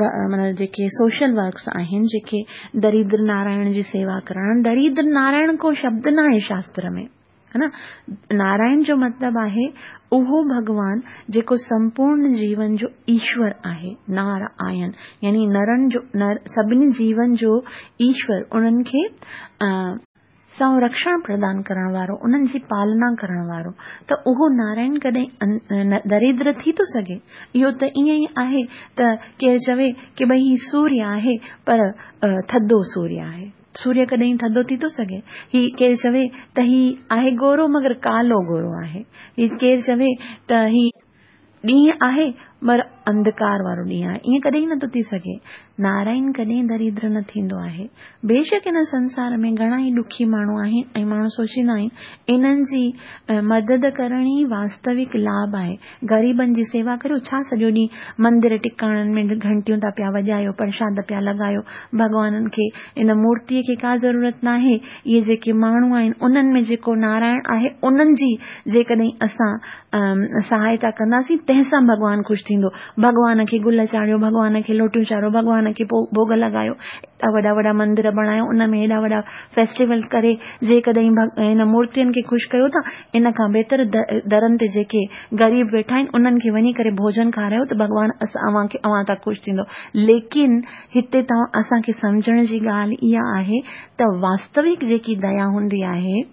معنيٰ جيڪي سوشل ورڪس آهن، جيڪي دريدر نارائڻ جي سيوا ڪرڻ، دريدر نارائڻ ڪو شبد نه آهي شاستر ۾ ها نه. نارائڻ جو مطلب آهي اهو ڀڳوان جيڪو سمپورڻ جيون جو ايشور آهي، نار آهن يعني نرن جو نر سڀني جيون جو ايشور، انهن کي سنرڪشڻ پردان ڪرڻ وارو، انهن جي پالنا ڪرڻ وارو. ته اهو نارائڻ ڪڏهن دريدر ٿي ٿو سگهي؟ اهو ته ائين ئي آهي ته ڪير چوي ڪه ڀئي هي سوريه آهي پر ٿڌو سوريه آهي، سوريه ڪڏهن ٿڌو ٿي ٿو سگهي؟ هي ڪير چوي ته هي آهي گورو مگر ڪالو گورو آهي، هي ڪير چوي ته هي ڏينهن آهي پر انڌڪار وارو ڏينهن آهي، ائين ڪڏهن نٿو ٿي سگهي. نارائڻ ڪڏهن دريدر نه ٿيندو آهي. بيشڪ هن سنسار ۾ گهڻا ئي ڏکي ماڻهو آهن ۽ ماڻهو سوچيندا آهن انهن جي مدد ڪرڻ ئي واستوڪ لاڀ آهي. غريبن جي سيوا ڪريو، ڇا سڄو ڏينهن مندر ٽڪاڻن ۾ گهنٽيون ٿا پيا وڄايو، پرشاد پيا لڳايو، ڀڳوانن کي ان مورتيءَ کي ڪا ضرورت ناهي. اهي جيڪي ماڻهو آهن انهن ۾ جيڪو نارائڻ آهي انهن جي جيڪڏهن اسان سهائتا ڪنداسين تنهن سان ڀڳوان خوش ٿيندو. ڀڳوان کي گل چاڙهيو، ڀڳوان کي لوٽيون چاڙهيو، ڀڳوان کي ڀوڳ لڳايو، ايڏا وڏا وڏا مندر بڻايو، ان ۾ ايڏا وڏا فيسٽيول ڪري جيڪڏهن هن مورتين کي خوش ڪيو ٿا، ان کان بهتر درن تي جيڪي غريب ويٺا آهن انهن کي وڃي ڪري ڀوڄن کارايو ته ڀڳوان اوهان کي اوهان تان خوش ٿيندو. ليڪن هتي توهان اسان کي سمجهڻ جي ڳالهه اها آهي ته واستوڪ جيڪي ديا هوندي آهي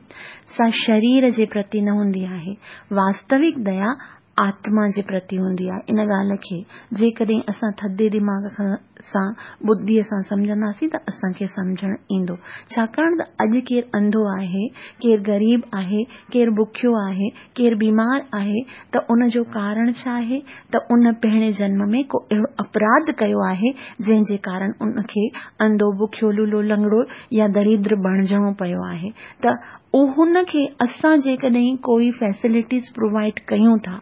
سا شرير جي پرتي نه هوندي آهي. واستوڪ ديا آتما جي پرتي هوندي آهي. ان ڳالهه کي جيڪڏهن اسان ٿڌي دماغ سان ٻڌيءَ سان سمجهنداسين ته اسان کي سمجهڻ ايندو. ڇاڪاڻ ته اڄ ڪير انڌو آهي، ڪير غريب آهي، ڪير بکيو آهي، ڪير بيمار آهي ته ان جو ڪارڻ ڇا آهي؟ ته ان پهرين جنم ۾ ڪو اهڙو اپراڌ ڪيو آهي جنهن جي ڪارڻ ان کي انڌو، بکيو، لولو، لنگڙو يا دريدر بڻجڻو پيو آهي. ته ان کي اسان جيڪڏهن ڪوئي فيسلٽيز پرووائيڊ ڪيون ٿا،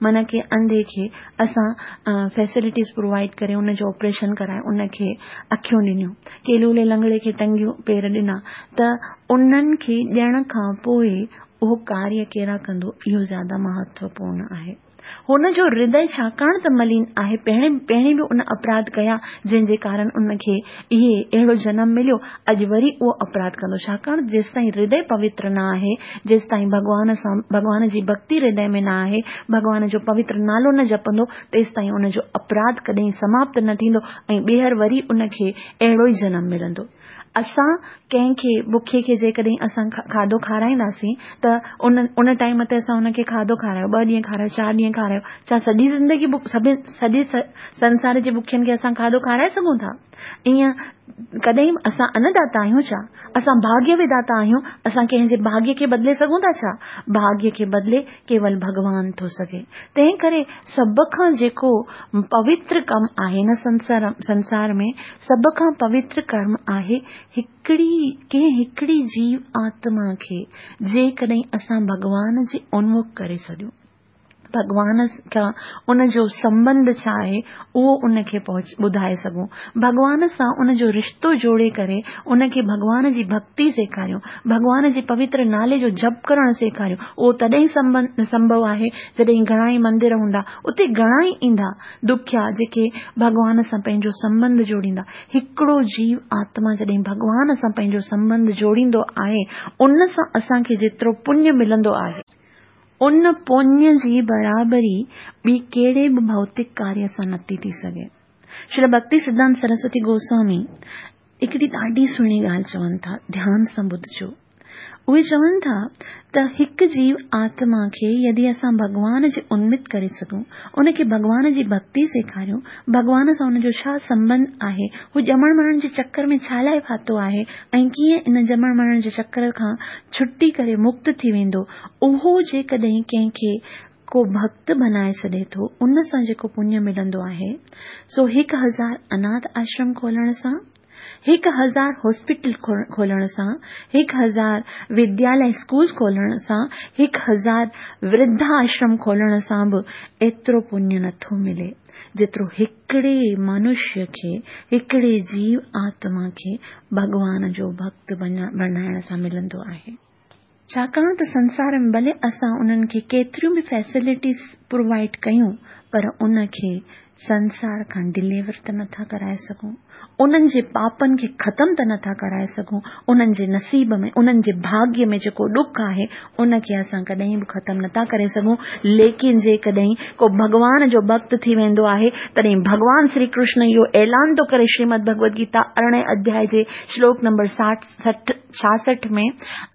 معنيٰ ڪه انڌي کي اسان فيسلٽيز پرووائيڊ ڪري ان جو آپريشن ڪرائي ان کي اکيون ڏنيون، ڪي لولي لنگڙي کي ٽنگيون پير ڏنا، ته انهن کي ڏيڻ کان پوءِ اهو ڪاريه ڪهڙا ڪندو، اهو زياده مهتوپورڻ آهي. هن جو هردي ڇاڪاڻ ته ملين آهي، پهرين پهرين به ان اپراڌ ڪيا جنهن جي ڪارڻ ان کي اهي اهڙو جنم مليو، اڄ وري اهو اپراڌ ڪندو. ڇاڪاڻ جيستائين هردي پوتر نه آهي، جيستائين ڀڳوان سان ڀڳوان جي ڀڪتي هردي ۾ نه آهي، ڀڳوان جو پوتر نالو نه جپندو، تيستائين ان جو اپراڌ ڪڏهن سماپت نه ٿيندو ۽ ٻيهر وري ان کي اهڙو ئي جنم ملندو. اسان ڪنهن کي بکي کي جيڪڏهن اسان کاڌو کارائينداسين ته ان ان ٽائيم تي اسان ان کي کاڌو کارايو، ٻه ڏينهن کارايو، چار ڏينهن کارايو، ڇا سڄي زندگي سڀ سڄي سنسار جي بکين کي اسان کاڌو کارائي سگهون ٿا؟ ائين ڪڏهن اسان انداتا آهيون ڇا؟ اسان ڀاگيه وڌاتا آهيون؟ اسان ڪنهن جي ڀاگيه کي بدلي سگهون ٿا ڇا؟ ڀاگيه کي بدلي ڪيول ڀڳوان ٿو سگهي. تنهن ڪري سڀ کان جيڪو پوتر ڪم آهي نه سنسار سنسار ۾ سڀ کان پوتر ڪرم آهي هڪڙي ڪنهن هڪڙي جيو آتما کي جيڪڏهن اسان ڀڳوان جي انمک ڪري ڇڏيون، ڀڳوان کان ان جو سنٻنڌ ڇا آهي اهو ان کي پهچ ٻڌائي سگهون، ڀڳوان سان ان جو رشتو جوڙي ڪري ان کي ڀڳوان جي ڀڪتي سيکاريون، ڀڳوان جي پوتر نالي جو جپ ڪرڻ سيکاريون. اهو تڏهن سنڀو آهي جڏهن گهڻا ئي مندر هوندا، اتي گهڻا ئي ايندا دکيا جيڪي ڀڳوان سان پنهنجو سنٻنڌ جوڙيندا. هڪڙو جيو آتما جڏهن ڀڳوان سان پنهنجو سنٻنڌ جوڙيندو آهي، ان سان اسان کي جيترو پڃ ملندو آهي، ان پڃ جي برابري ٻي ڪهڙي به ڀوتڪ ڪاريه سان نٿي ٿي سگهي. شري ڀڪتي سڌانت سرسوتي گوسوامي هڪڙي ڏاڍي سهڻي ڳالهه چون ٿا، ڌيان سان ٻڌجو. اهي چون ٿا ته هڪ جيو آتما کي يدي اسان ڀڳوان جي انمت ڪري سگهون، ان کي ڀڳوان جي ڀڪتي سيکاريون، ڀڳوان سان ان جو ڇا سنٻنڌ آهي، هو ڄمڻ مرڻ جي چڪر ۾ ڇا لاءِ ڦاٿو آهي ۽ ڪيئن ان ڄمڻ مرڻ جي چڪر کان ڇٽي ڪري مڪت ٿي ويندو، اهو جيڪڏهن ڪنهن کي ڪو ڀڪت بنائي ڇڏي ٿو، ان سان جيڪو پڃ ملندو آهي، سو هڪ هزار اناٿ آشرم کولڻ سان، هڪ هزار هاسپيٽل کولڻ سان، هڪ هزار ودياليه اسڪول کولڻ سان، هڪ هزار ورڌ آشرم کولڻ سان به ايترو پڃ نٿو ملي جيترو هڪڙي منشيه کي، هڪڙي جيو آتما کي ڀڳوان جو ڀڪت بڻائڻ سان ملندو آهي. ڇاڪاڻ ته سنسار ۾ ڀلي اسان انهن کي ڪيتريون به فيسلٽيز پرووائيڊ ڪيون، پر ان کي سنسار کان ڊليور ته نٿا ڪرائي سگهون، انهن جي پاپن کي ختم ته نٿا ڪرائي سگهون، انهن جي نصيب ۾ انهن جي ڀاگيه ۾ جيڪو ڏک آهي ان کي اسان ڪڏهن به ختم نٿا ڪري سگهون. ليڪن جيڪڏهن ڪو ڀڳوان جو ڀڪت ٿي ويندو آهي، تڏهن ڀڳوان شري ڪرشن اهو اعلان ٿو ڪري شريمد ڀڳوت گيتا ارڙهين اڌياءِ جي شلوڪ نمبر ساٺ سٺ ڇاهٺ ۾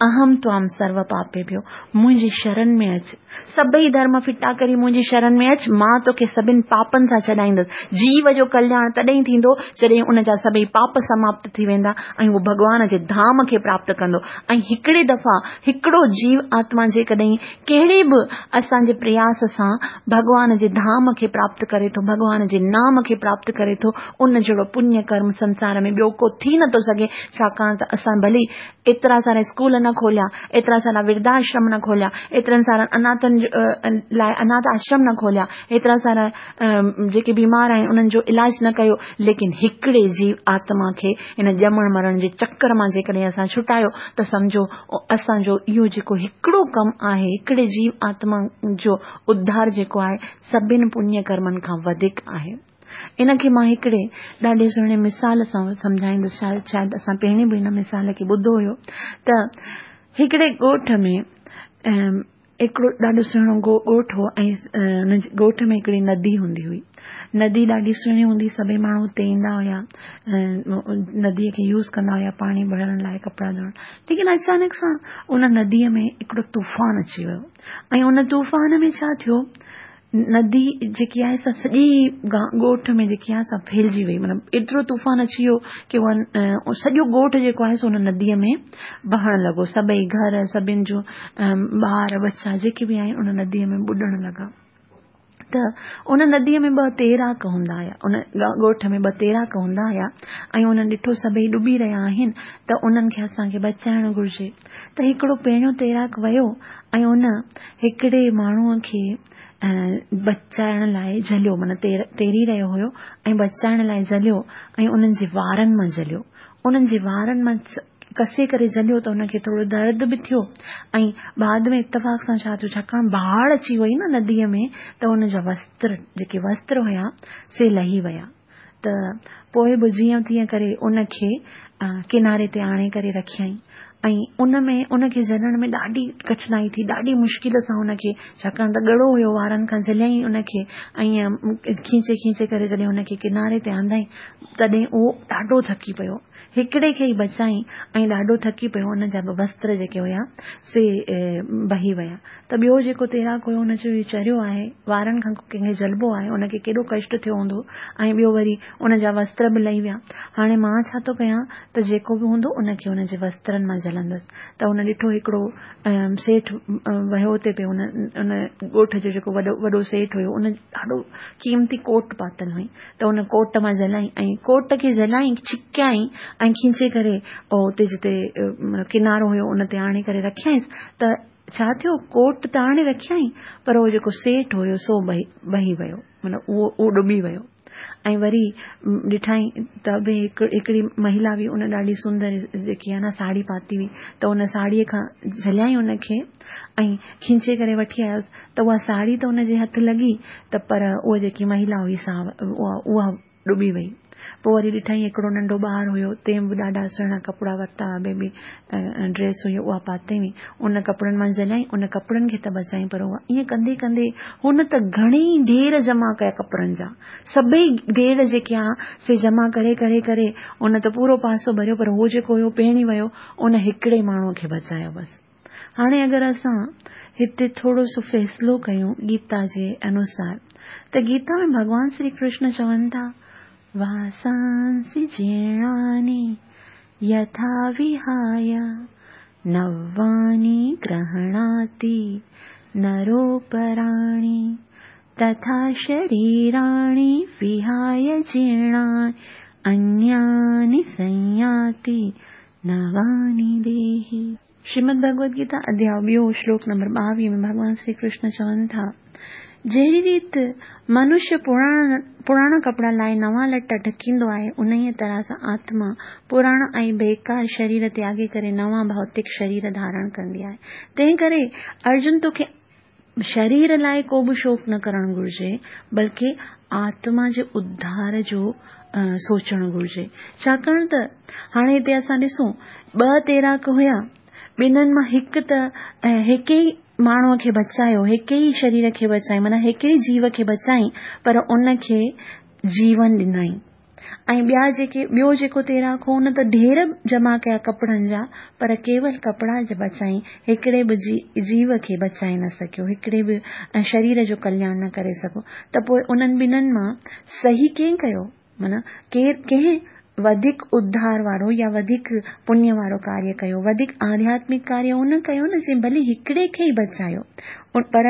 اهم توام سرو پاپيڀيو، منهنجي شرڻ ۾ اچ، سڀئي ڌرم ڦٽا ڪري منهنجي شرڻ ۾ اچ، مان توکي سڀني پاپن سان ڇڏائيندس. جيو جو ڪلياڻ تڏهن ٿيندو جڏهن ان جا سڀئي پاپ سماپت ٿي ويندا ۽ اهو ڀڳوان جي ڌام کي پراپت ڪندو. ۽ هڪڙي دفعا هڪڙو جيو آتما جيڪڏهن ڪهڙي به اسان جي پرياس سان ڀڳوان جي ڌام کي پراپت ڪري ٿو، ڀڳوان جي نام کي پراپت ڪري ٿو، ان جهڙو پڃ ڪرم سنسار ۾ ٻيو ڪو ٿي نٿو سگهي. ڇاڪاڻ ته اسان ڀلي ايترا سارا اسڪول نه کوليا، ايترا سارا ورڌاشرم نه کوليا، ايترن سارن اناٿن لاءِ اناٿ آشرم نه کوليا، ايترا سارا جيڪي بيمار آهن انهن جو علاج نه ڪيو، ليڪن هڪڙي جيو آتما کي ان ڄمڻ مرڻ جي چڪر مان جيڪڏهن اسان ڇٽايو ته سمجهو اسان جو اهو جيڪو هڪڙو ڪم آهي، هڪڙي جيو آتما جو اڌار جيڪو آهي سڀني پڃ ڪرمن کان وڌيڪ آهي. ان کي مان هڪڙي ڏاڍي سهڻي مثال سان سمجهائيندس. شايد اسان پهرين به هن مثال کي ٻڌو هيو ته هڪڙي ڳوٺ ۾ هڪڙو ڏاڍو سهڻو ڳوٺ هو ۽ ان ڳوٺ ۾ هڪڙي ندي هوندي هئي. ندي ڏاڍي سهڻي هوندي، سڀئي ماڻهو اتي ايندا هئا، نديءَ کي يوز ڪندا هئا پاڻي ڀرڻ لاءِ، ڪپڙا ڌوئڻ. ليڪن اچانڪ سان ان نديءَ ۾ هڪڙو طوفان اچي ويو ۽ ان طوفان ۾ ڇا ٿيو، नदी जेकी आहे सा सॼी ॻोठ में जेकी आहे सा फैलिजी वई। माना एतिरो तूफ़ान अची वियो की उहा सॼो ॻोठ जेको आहे सो हुन नदीअ में बहण लॻो। सभई घर, सभिनी जो ॿार बच्चा जेके बि आहिनि उन नदीअ में ॿुॾण लॻा। त उन नदीअ में ॿ तैराक हूंदा हुया, उन ॻोठ में ॿ तैराक हूंदा हुया ऐं उन्हनि ॾिठो सभई ॾुॿी रहिया आहिनि त उन्हनि खे असांखे बचाइणु घुरिजे। त हिकिड़ो पहिरियों तैराक वियो ऐं उन हिकिड़े माण्हूअ खे बचाइण लाइ झलियो, माना तैरी रहियो हुयो ऐं बचाइण लाइ झलियो ऐं उन्हनि जे वारनि मां झलियो। उन्हनि जे वारनि मां कसे करे झलियो त हुनखे थोरो दर्द बि थियो ऐं बाद में इतफ़ाक़ सां छा थियो, छाकाणि बाढ़ अची वई न नदीअ में त हुनजा वस्त्र जेके वस्त्र हुया से लही विया। त पोइ बि जीअं तीअं करे उनखे किनारे ते आणे करे रखियईं ऐं उन में उनखे झलण में ॾाढी कठिनाई थी, ॾाढी मुश्किल सां हुनखे, छाकाणि त ॻड़ो हुयो, वारनि खां झलियईं उनखे ऐं खींचे खींचे करे जॾहिं हुनखे किनारे ते आंदई तॾहिं उहो ॾाढो थकी पियो। हिकिड़े खे ई बचाई ऐं ॾाढो थकी पियो, हुनजा बि वस्त्र जेके हुया से बही विया। त ॿियो जेको तैराक हुयो हुन चयो, इहो चरियो आहे, वारनि खां कंहिंखे झलबो आहे, हुनखे केॾो कष्ट थियो हूंदो ऐं ॿियो वरी हुनजा वस्त्र बि लही विया। हाणे मां छा थो कयां त जेको बि हूंदो उनखे हुनजे वस्त्रनि मां झलंदसि। त हुन ॾिठो हिकिड़ो सेठ वियो हुते पियो, हुन उन ॻोठ जो जेको वॾो वॾो सेठ हुयो उन ॾाढो क़ीमती कोट पातल हुई त हुन कोट मां झलाई ऐं कोट खे झलाई छिकियाई ऐं खींचे करे उते जिते किनारो हुयो उन ते आणे करे रखियाईंसि। त छा थियो, कोट त आणे रखियाई पर उहो जेको सेठ हुयो सो बही बही वियो, माना उहो उहो ॾुॿी वियो। ऐं वरी ॾिठाई त बि हिकिड़ी महिला हुई, उन ॾाढी सुंदर जेकी आहे न साड़ी पाती हुई त उन साड़ीअ खां झलियाई हुनखे ऐं खींचे करे वठी आयुसि त उहा साड़ी त हुनजे हथु लॻी त पर उहा जेकी महिला हुई सा उहा उहा ॾुॿी वई। पोइ वरी ॾिठाई हिकिड़ो नंढो ॿार हुयो, तंहिं बि ॾाढा सुहिणा कपिड़ा वरिता, बेबी ड्रेस हुई उहा पातई हुई, उन कपिड़नि मां झलियाई, उन कपिड़नि खे त बचाई पर उहा ईअं कंदे कंदे हुन त घणेई ढेर जमा कया कपिड़नि जा, सभई ढेर जेके आहे से जमा करे करे करे उन त पूरो पासो भरियो, पर उहो जेको हुयो पहिरीं वियो उन हिकिड़े माण्हूअ खे बचायो बसि। हाणे अगरि असां हिते थोरो सो फ़ैसिलो कयूं गीता जे अनुसार त गीता में भॻवान श्री कृष्ण चवनि था, वासांसि जीर्णानि यथा विहाय नवानि गृह्णाति नरोपराणि तथा शरीराणि विहाय जीर्णानि अन्यानि संयाति नवानि देहि। श्रीमद् भगवद गीता अध्याय ॿियो श्लोक नंबर ॿावीह में भॻवान श्री कृष्ण चवनि था, जहिड़ी रीति मनुष्य पुराणा पुराणा कपिड़ा लाइ नवां लटा ढकींदो आहे, उन्हीअ तरह सां आत्मा पुराणा ऐं बेकार शरीर त्यागे करे नवां भौतिक शरीर धारण कंदी आहे। तंहिं करे अर्जुन तोखे शरीर लाइ को बि शोक न करणु घुरिजे, बल्कि आत्मा जे उद्धार जो सोचणु घुरिजे। छाकाणि त हाणे हिते असां ॾिसूं ॿ तैराक हुया, ॿिन्हिनि मां हिकु त हिकु ई माण्हूअ खे बचायो, हिकु ई शरीर खे बचाई, माना हिकु ई जीव खे बचाई, पर उनखे जीवन ॾिनई। ऐं ॿिया जेके ॿियो जेको तैराक हो उन त ढेर जमा कया कपिड़नि जा, पर केवल कपिड़ा बचाई, हिकिड़े बि जी, जीव खे बचाए न सघियो, हिकिड़े बि शरीर जो कल्याण न करे सघियो। त पोइ उन्हनि ॿिन्हिनि मां सही कंहिं कयो, माना केरु कंहिं वधीक उद्धार वारो या वधीक पुण्य वारो कार्य कयो, वधीक आध्यात्मिक कार्य उन कयो न जंहिं भली हिकिड़े खे ई बचायो, पर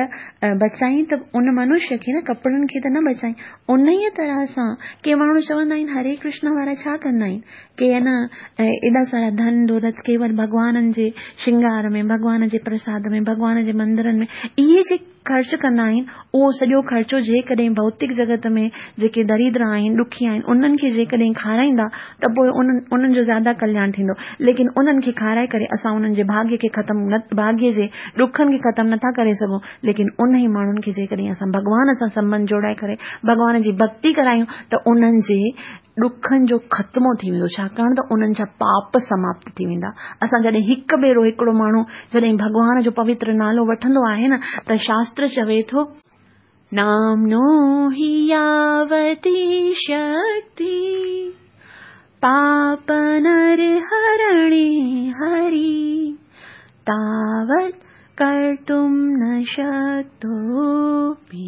बचाई त उन मनुष्य खे न, कपिड़नि खे त न बचाई। उन तरह सां के माण्हू चवंदा आहिनि हरे कृष्ण वारा छा कंदा आहिनि, के न एॾा सारा धन दौलत केवल भॻवाननि जे श्रृंगार में, भॻवान जे प्रसाद में, भॻवान जे मंदिरनि में इहे जे ख़र्च कंदा आहिनि, उहो सॼो ख़र्चो जेकॾहिं भौतिक जगत में जेके दरिद्र आहिनि, ॾुखी आहिनि, उन्हनि खे जेकॾहिं खाराईंदा त पोइ उन्हनि उन्हनि जो ज़्यादा कल्याण थींदो। लेकिन उन्हनि खे खाराए करे असां उन्हनि जे भाग्य खे ख़तमु न, भाग्य जे ॾुखनि खे ख़तमु नथा करे सघूं। लेकिन उन ई माण्हुनि खे जेकॾहिं असां भॻवान सां संबंध जोड़ाए करे भॻवान जी भक्ति करायूं त उन्हनि जे ॾुखनि जो ख़त्मो थी वेंदो, छाकाणि त उन्हनि जा पाप समाप्त थी वेंदा। असां जॾहिं हिकु भेरो हिकिड़ो माण्हू जॾहिं भॻवान जो पवित्र नालो वठंदो आहे न, त शास्त्र चवे थो, नाम्नो हि यावती शक्ति पाप नर हरणे हरि, तावत् कर्तुं न शक्तोऽपि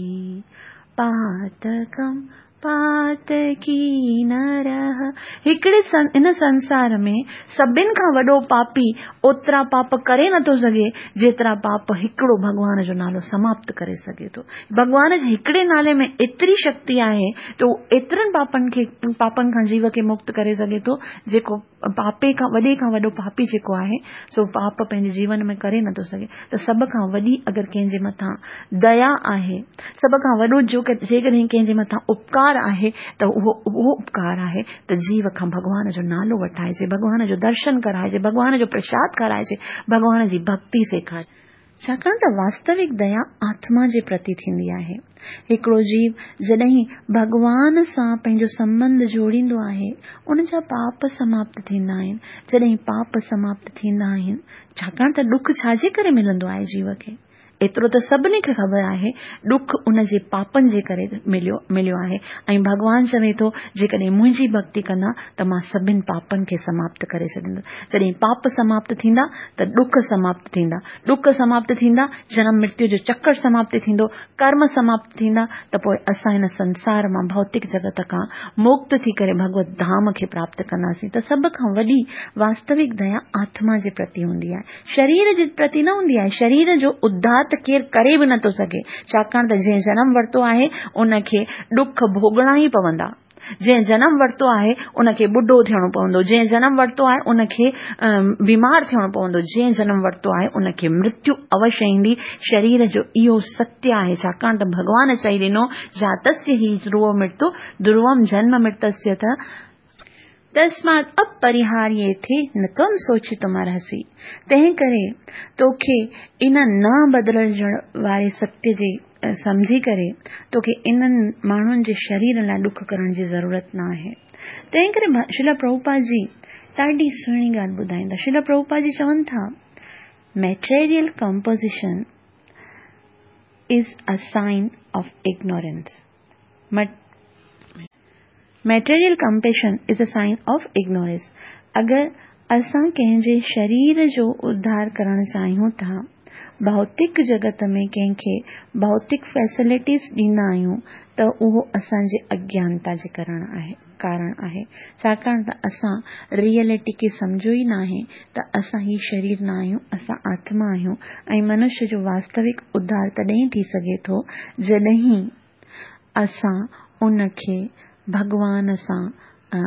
पातकं पातकी नरः। हिकिड़े इन संसार में सभिनि खां वॾो पापी ओतिरा पाप करे नथो सघे जेतिरा पाप हिकिड़ो भॻवान जो नालो समाप्त करे सघे थो। भॻवान जे हिकिड़े नाले में एतिरी शक्ति आहे त उहो एतिरनि पापनि खे पापनि खां जीव खे मुक्त करे सघे थो जेको पापे खां वॾे खां वॾो पापी जेको आहे सो पाप पंहिंजे जीवन में करे नथो सघे। त सभ खां वॾी अगरि कंहिंजे मथां दया आहे, सभ खां वॾो जो जेकॾहिं कंहिंजे मथां उपकार आहे त उहो उहो उपकार आहे त जीव खां भॻवान जो नालो वठाइजे, भॻवान जो दर्शन कराइजे, भॻवान जो प्रसाद खाराइजे, भॻवान जी भक्ति सेखारिजे। छाकाणि त वास्तविक दया आत्मा जे प्रति थींदी आहे। हिकिड़ो जीव जॾहिं भॻवान सां पंहिंजो संबंध जोड़ींदो आहे उन जा पाप समाप्त थींदा आहिनि। जॾहिं पाप समाप्त थींदा आहिनि, छाकाणि त ॾुख छाजे करे मिलंदो आहे जीव खे, एतिरो त सभिनी खे ख़बर आहे, ॾुख उन जे पापनि जे करे मिलियो मिलियो आहे। ऐं भॻवान चवे थो जेकॾहिं मुंहिंजी भक्ति कंदा त मां सभिनी पापनि खे समाप्त करे छॾींदुसि। जॾहिं पाप समाप्त थींदा त ॾुख समाप्त थींदा, ॾुख समाप्त थींदा जनम मृत्यु जो चक्कर समाप्त थींदो, कर्म समाप्त थींदा त पोइ असां हिन संसार मां भौतिक जगत खां मुक्त थी करे भगवत धाम खे प्राप्त कंदासीं। त सभ खां वॾी वास्तविक दया आत्मा जे प्रति हूंदी आहे, शरीर जे प्रति न हूंदी आहे। शरीर जो उद्धार त केरु करे बि नथो सघे, छाकाणि त जंहिं जनम वरितो आहे उनखे ॾुख भोगणा ई पवंदा, जंहिं जनम वरितो आहे उनखे ॿुढो थियणो पवंदो, जंहिं जनम वरितो आहे उनखे बीमार थियणो पवंदो, जंहिं जनम वरितो आहे उनखे मृत्यु अवश्य ईंदी। शरीर जो इहो सत्य आहे, छाकाणि त भॻवान चई ॾिनो जातस्य हि ध्रुव मृत्यु ध्रुवम जन्म मृतस्य त तस्मात् अपरिहार्येथे न त्वं सोचितुमर्हसि। तंहिं करे तोखे इन न बदिलजण वारे सत्य जे सम्झी करे तोखे इन्हनि माण्हुनि जे शरीर लाइ ॾुख करण जी ज़रूरत न आहे। तंहिं करे श्रील प्रभुपाद जी ॾाढी सुहिणी ॻाल्हि ॿुधाईंदा। श्रील प्रभुपाद जी चवनि था material composition is a sign of ignorance. Material compassion is a sign of ignorance. अगरि असां कंहिंजे शरीर जो उद्धार करणु चाहियूं था, भौतिक जगत में कंहिंखे भौतिक फैसिलिटीज़ ॾींदा आहियूं त उहो असांजे अज्ञानता जे करण आहे कारण आहे। छाकाणि त असां रियलिटी खे सम्झो ई न आहे त असां ही शरीर न आहियूं, असां आत्मा आहियूं। ऐं मनुष्य जो वास्तविक उद्धार तॾहिं थी सघे थो जॾहिं असां उनखे भॻवान सां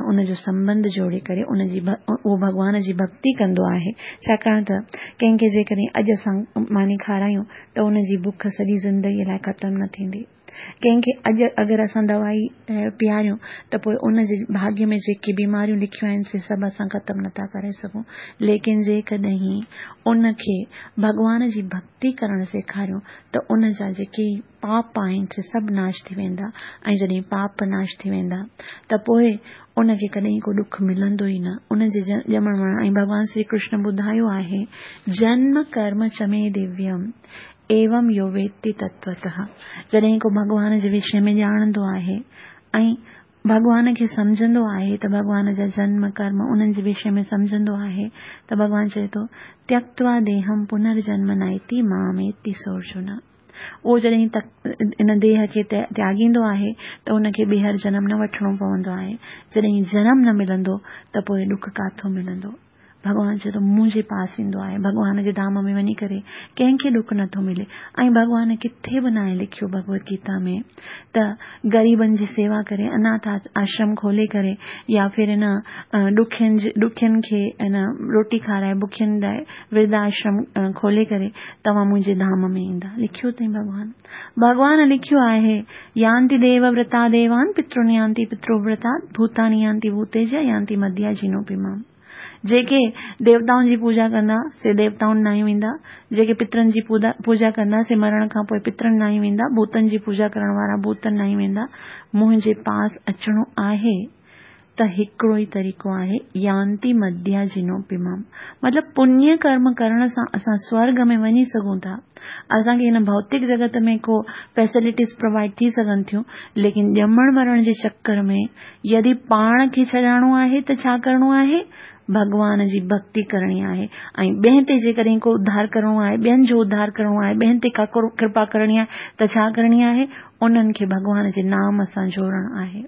उनजो संबंध जोड़े करे उनजी उहो भॻवान जी भक्ति कंदो आहे। छाकाणि त कंहिंखे जेकॾहिं अॼु असां मानी खारायूं त उनजी बुख सॼी ज़िंदगीअ लाइ ख़तमु न थींदी। कंहिंखे अॼु अगरि असां दवाई पीआरियूं त पोइ उनजे भाग्य में जेके बीमारियूं लिखियूं आहिनि से सभु असां ख़तमु नथा करे सघूं। लेकिन जेकॾहिं उनखे भॻवान जी भक्ति करणु सेखारियूं त उन जा जेके पाप आहिनि से सभु नाश थी वेंदा। ऐं जॾहिं पाप नाश थी वेंदा त पोइ उनखे कॾहिं को ॾुख मिलंदो ई न। उनजे ॼमण मरण ऐं भॻवान श्री कृष्ण ॿुधायो आहे जन्म कर्म च मे दिव्यम एवं यो वेत्ति तत्वतः। जॾहिं को भॻवान जे विषय में ॼाणंदो आहे ऐं भॻवान खे सम्झंदो आहे त भॻवान जा जन्म कर्म उन्हनि जे विषय में सम्झंदो आहे त भॻवान चए थो त्यक्त्वा देहम पुनर्जन्म नैति मामेति सोऽर्जुन। उहो जॾहिं तक इन देह खे त्यागींदो आहे त उनखे ॿीहर जनम न वठिणो पवंदो आहे। जॾहिं जनम न मिलंदो त पोइ ॾुख काथों मिलंदो? भॻवान चए थो मुंहिंजे पास ईंदो आहे, भॻवान जे धाम में वञी करे कंहिंखे ॾुख नथो मिले। ऐं भॻवान किथे बि नाहे लिखियो भगवत गीता में त ग़रीबनि जी सेवा करे, अनाथ आश्रम खोले करे या फिर इन ॾुखियनि ॾुखियनि खे इन रोटी खाराए बुखियनि लाइ वृद्ध आश्रम खोले करे तव्हां मुंहिंजे धाम में ईंदा। लिखियो अथई भॻवान। भॻवान लिखियो आहे यान्ति देवव्रता देवान पितृन यान्ति पितृव्रता भूतानि यान्ति भूतेज यान्ति मद्याजिनोऽपि माम्। जेके देवताउनि जी पूजा कंदा से देवताउनि ॾांहुं वेंदा, जेके पितरनि जी पूजा कंदा से मरण खां पोइ पितरनि ॾांहुं वेंदा, भूतनि जी पूजा करण वारा भूतनि ॾांहुं वेंदा। मुंहिंजे पास अचिणो आहे त ته हिकिड़ो ई तरीक़ो आहे, यांति मद्याजिनोऽपि माम्। मतिलबु पुण्य कर्म करण सां असां स्वर्ग में वञी सघूं था। असांखे हिन भौतिक जगत में को फैसिलिटीज़ प्रोवाइड थी सघनि थियूं, लेकिन ॼमण मरण जे चक्कर में यदि पाण खे छॾाइणो आहे त छा करिणो आहे? भॻवान जी भक्ति करणी आहे। ऐं ॿिए ते जेकॾहिं को उद्धार करिणो आहे, ॿियनि जो उद्धार करिणो आहे, ॿियनि ते का कृपा करणी आहे त छा करणी आहे? उन्हनि खे भॻवान जे नाम सां जोड़णु आहे।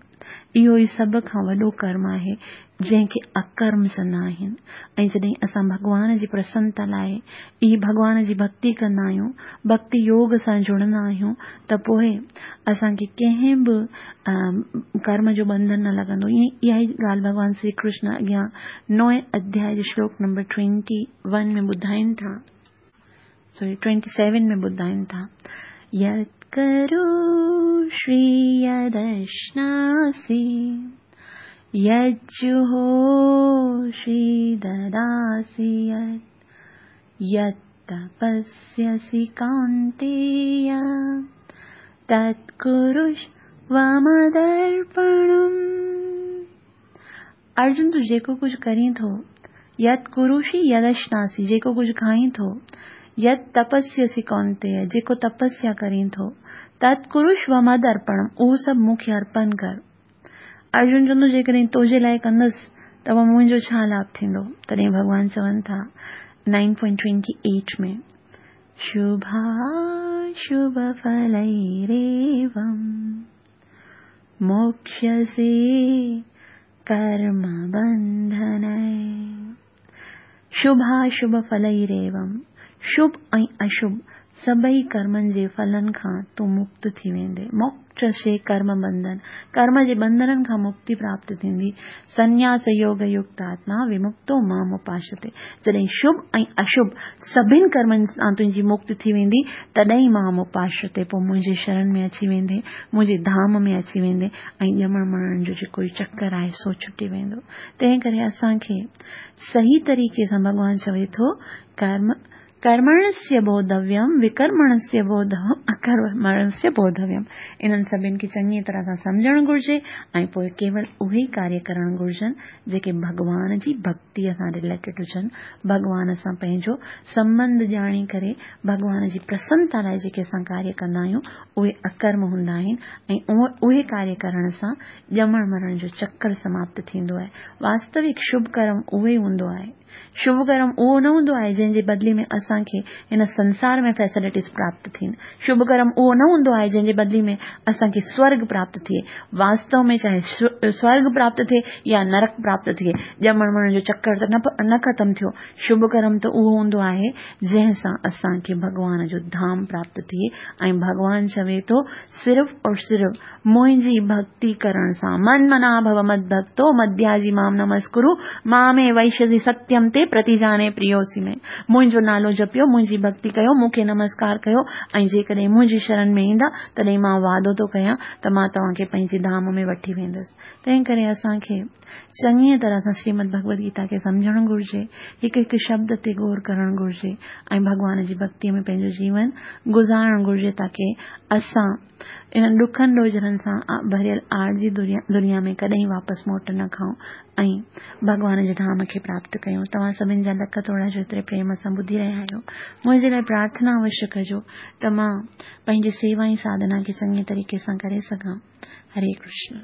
इहो ई सभ खां वॾो कर्म आहे जंहिंखे अकर्म चवंदा आहिनि। ऐं जॾहिं असां भॻवान जी प्रसन्नता लाइ ई भॻवान जी भक्ति कंदा आहियूं, भक्ति योग सां जुड़ंदा आहियूं, त पोइ असांखे कंहिं बि कर्म जो बंधन न लॻंदो। इहा ई ॻाल्हि भॻवान श्री कृष्ण अॻियां नओं अध्याय जो श्लोक नंबर ट्वेंटी वन में ॿुधाइनि था, सॉरी ट्वेंटी सेवन में ॿुधाइनि था। यत् करोषि यदश्नासि यज्जुहोषि ददासि यत् यत्तपस्यसि कौन्तेय तत्कुरुष्व मदर्पणम्। अर्जुन, तूं जेको कुझु करीं थो, यत् कुरुषि यदश्नासि, जेको कुझु खाईं थो, यत् तपस्यसि कौन्तेय, जेको तपस्या करीं थो, तत्कुरुष्व मदर्पणम्, उहो सभु मूंखे अर्पण कर। अर्जुन चवंदो, जेकॾहिं तुंहिंजे लाइ कंदुसि त पोइ मुंहिंजो छा लाभ थींदो? तॾहिं भॻवान चवनि था नाइन पॉइंट ट्वेंटी एट में, शुभाशुभ फलैरेवं मोक्ष्यसे कर्म बंधनैः। शुभाशुभ फलैरेवं, शुभ ऐं अशुभ सभई कर्मनि जे फलनि खां तूं मुक्त थी वेंदे। मोक्षसे कर्म बंधन, कर्म जे बंधननि खां मुक्ति प्राप्त थींदी। संन्यास योग युक्त आत्मा विमुक्तो माम उपासते। जॾहिं शुभ ऐं अशुभ सभिनि कर्मनि सां तुंहिंजी मुक्ति थी वेंदी, तॾहिं माम उपासते, पोइ मुंहिंजे शरण में अची वेंदे, मुंहिंजे धाम में अची वेंदे ऐं ॼमण मरण जो जेको चक्कर आहे सो छुटी वेंदो। तंहिं करे असांखे सही तरीक़े सां भॻवान चवे थो, कर्म कर्मणस्य बोधव्यम विकर्मणस्य बोधव्यम अकर्मणस्य बोधव्यम। इन्हनि सभिनि खे चङी तरह सां सम्झणु घुरिजे ऐं पोइ केवल उहे ई कार्य करणु घुरिजनि जेके भॻवान जी भक्तीअ सां रिलेटेड हुजनि, भॻवान सां पंहिंजो संबंध ॼाणी करे भॻवान जी प्रसन्नता लाइ जेके असां कार्य कंदा आहियूं उहे अकर्म हूंदा आहिनि ऐं उहे कार्य करण सां ॼमण मरण जो चक्कर समाप्त थींदो आहे। वास्तविक शुभ कर्म उहो ई हूंदो आहे। शुभ कर्म उहो न हूंदो आहे जंहिंजे बदिले में असांखे हिन संसार में फैसिलिटीज़ प्राप्त थियनि। शुभ कर्म उहो न हूंदो आहे जंहिंजे बदिले में असांखे स्वर्ग प्राप्त थिए। वास्तव में चाहे स्वर्ग प्राप्त थिए या नरक प्राप्त थिए, ॼमण मरण जो चक्कर त न ख़तमु थियो। शुभ कर्म त उहो हूंदो आहे जंहिं सां असांखे भॻवान जो धाम प्राप्त थिए। ऐं भॻवान चवे थो, सिर्फ़ और सिर्फ़ मुंहिंजी भक्ति करण सां, मन मना भव मद भक्तो मद्याजी माम नमस्कुरु मामे वैश्यसि सत्यम ते प्रतिजाने प्रियोसि में। मुंहिंजो नालो जपियो, मुंहिंजी भक्ति कयो, मूंखे नमस्कार कयो ऐं जेकॾहिं मुंहिंजी शरण में ईंदा तॾहिं मां वादो थो कयां त मां तव्हांखे पंहिंजे धाम में वठी वेंदुसि। तंहिं करे असांखे चङीअ तरह सां श्रीमद भगवद गीता खे सम्झणु घुरिजे, हिकु हिकु शब्द ते गौर करणु घुरिजे ऐं भॻवान जी भक्तीअ में पंहिंजो जीवन गुज़ारणु घुरिजे, ताकी असां इन्हनि ॾुखनि ॾोझरनि सां भरियल आरज़ी दुनिया में कॾहिं वापसि मोट न खाऊं ऐं भॻवान जे धाम खे प्राप्त कयूं। तव्हां सभिनि जा लख थोरा जो एतिरे प्रेम सां ॿुधी रहिया आहियो। मुंहिंजे लाइ प्रार्थना अवश्य कजो त मां पंहिंजी सेवा ऐं साधना खे चङे तरीक़े सां करे सघां। हरे कृष्ण।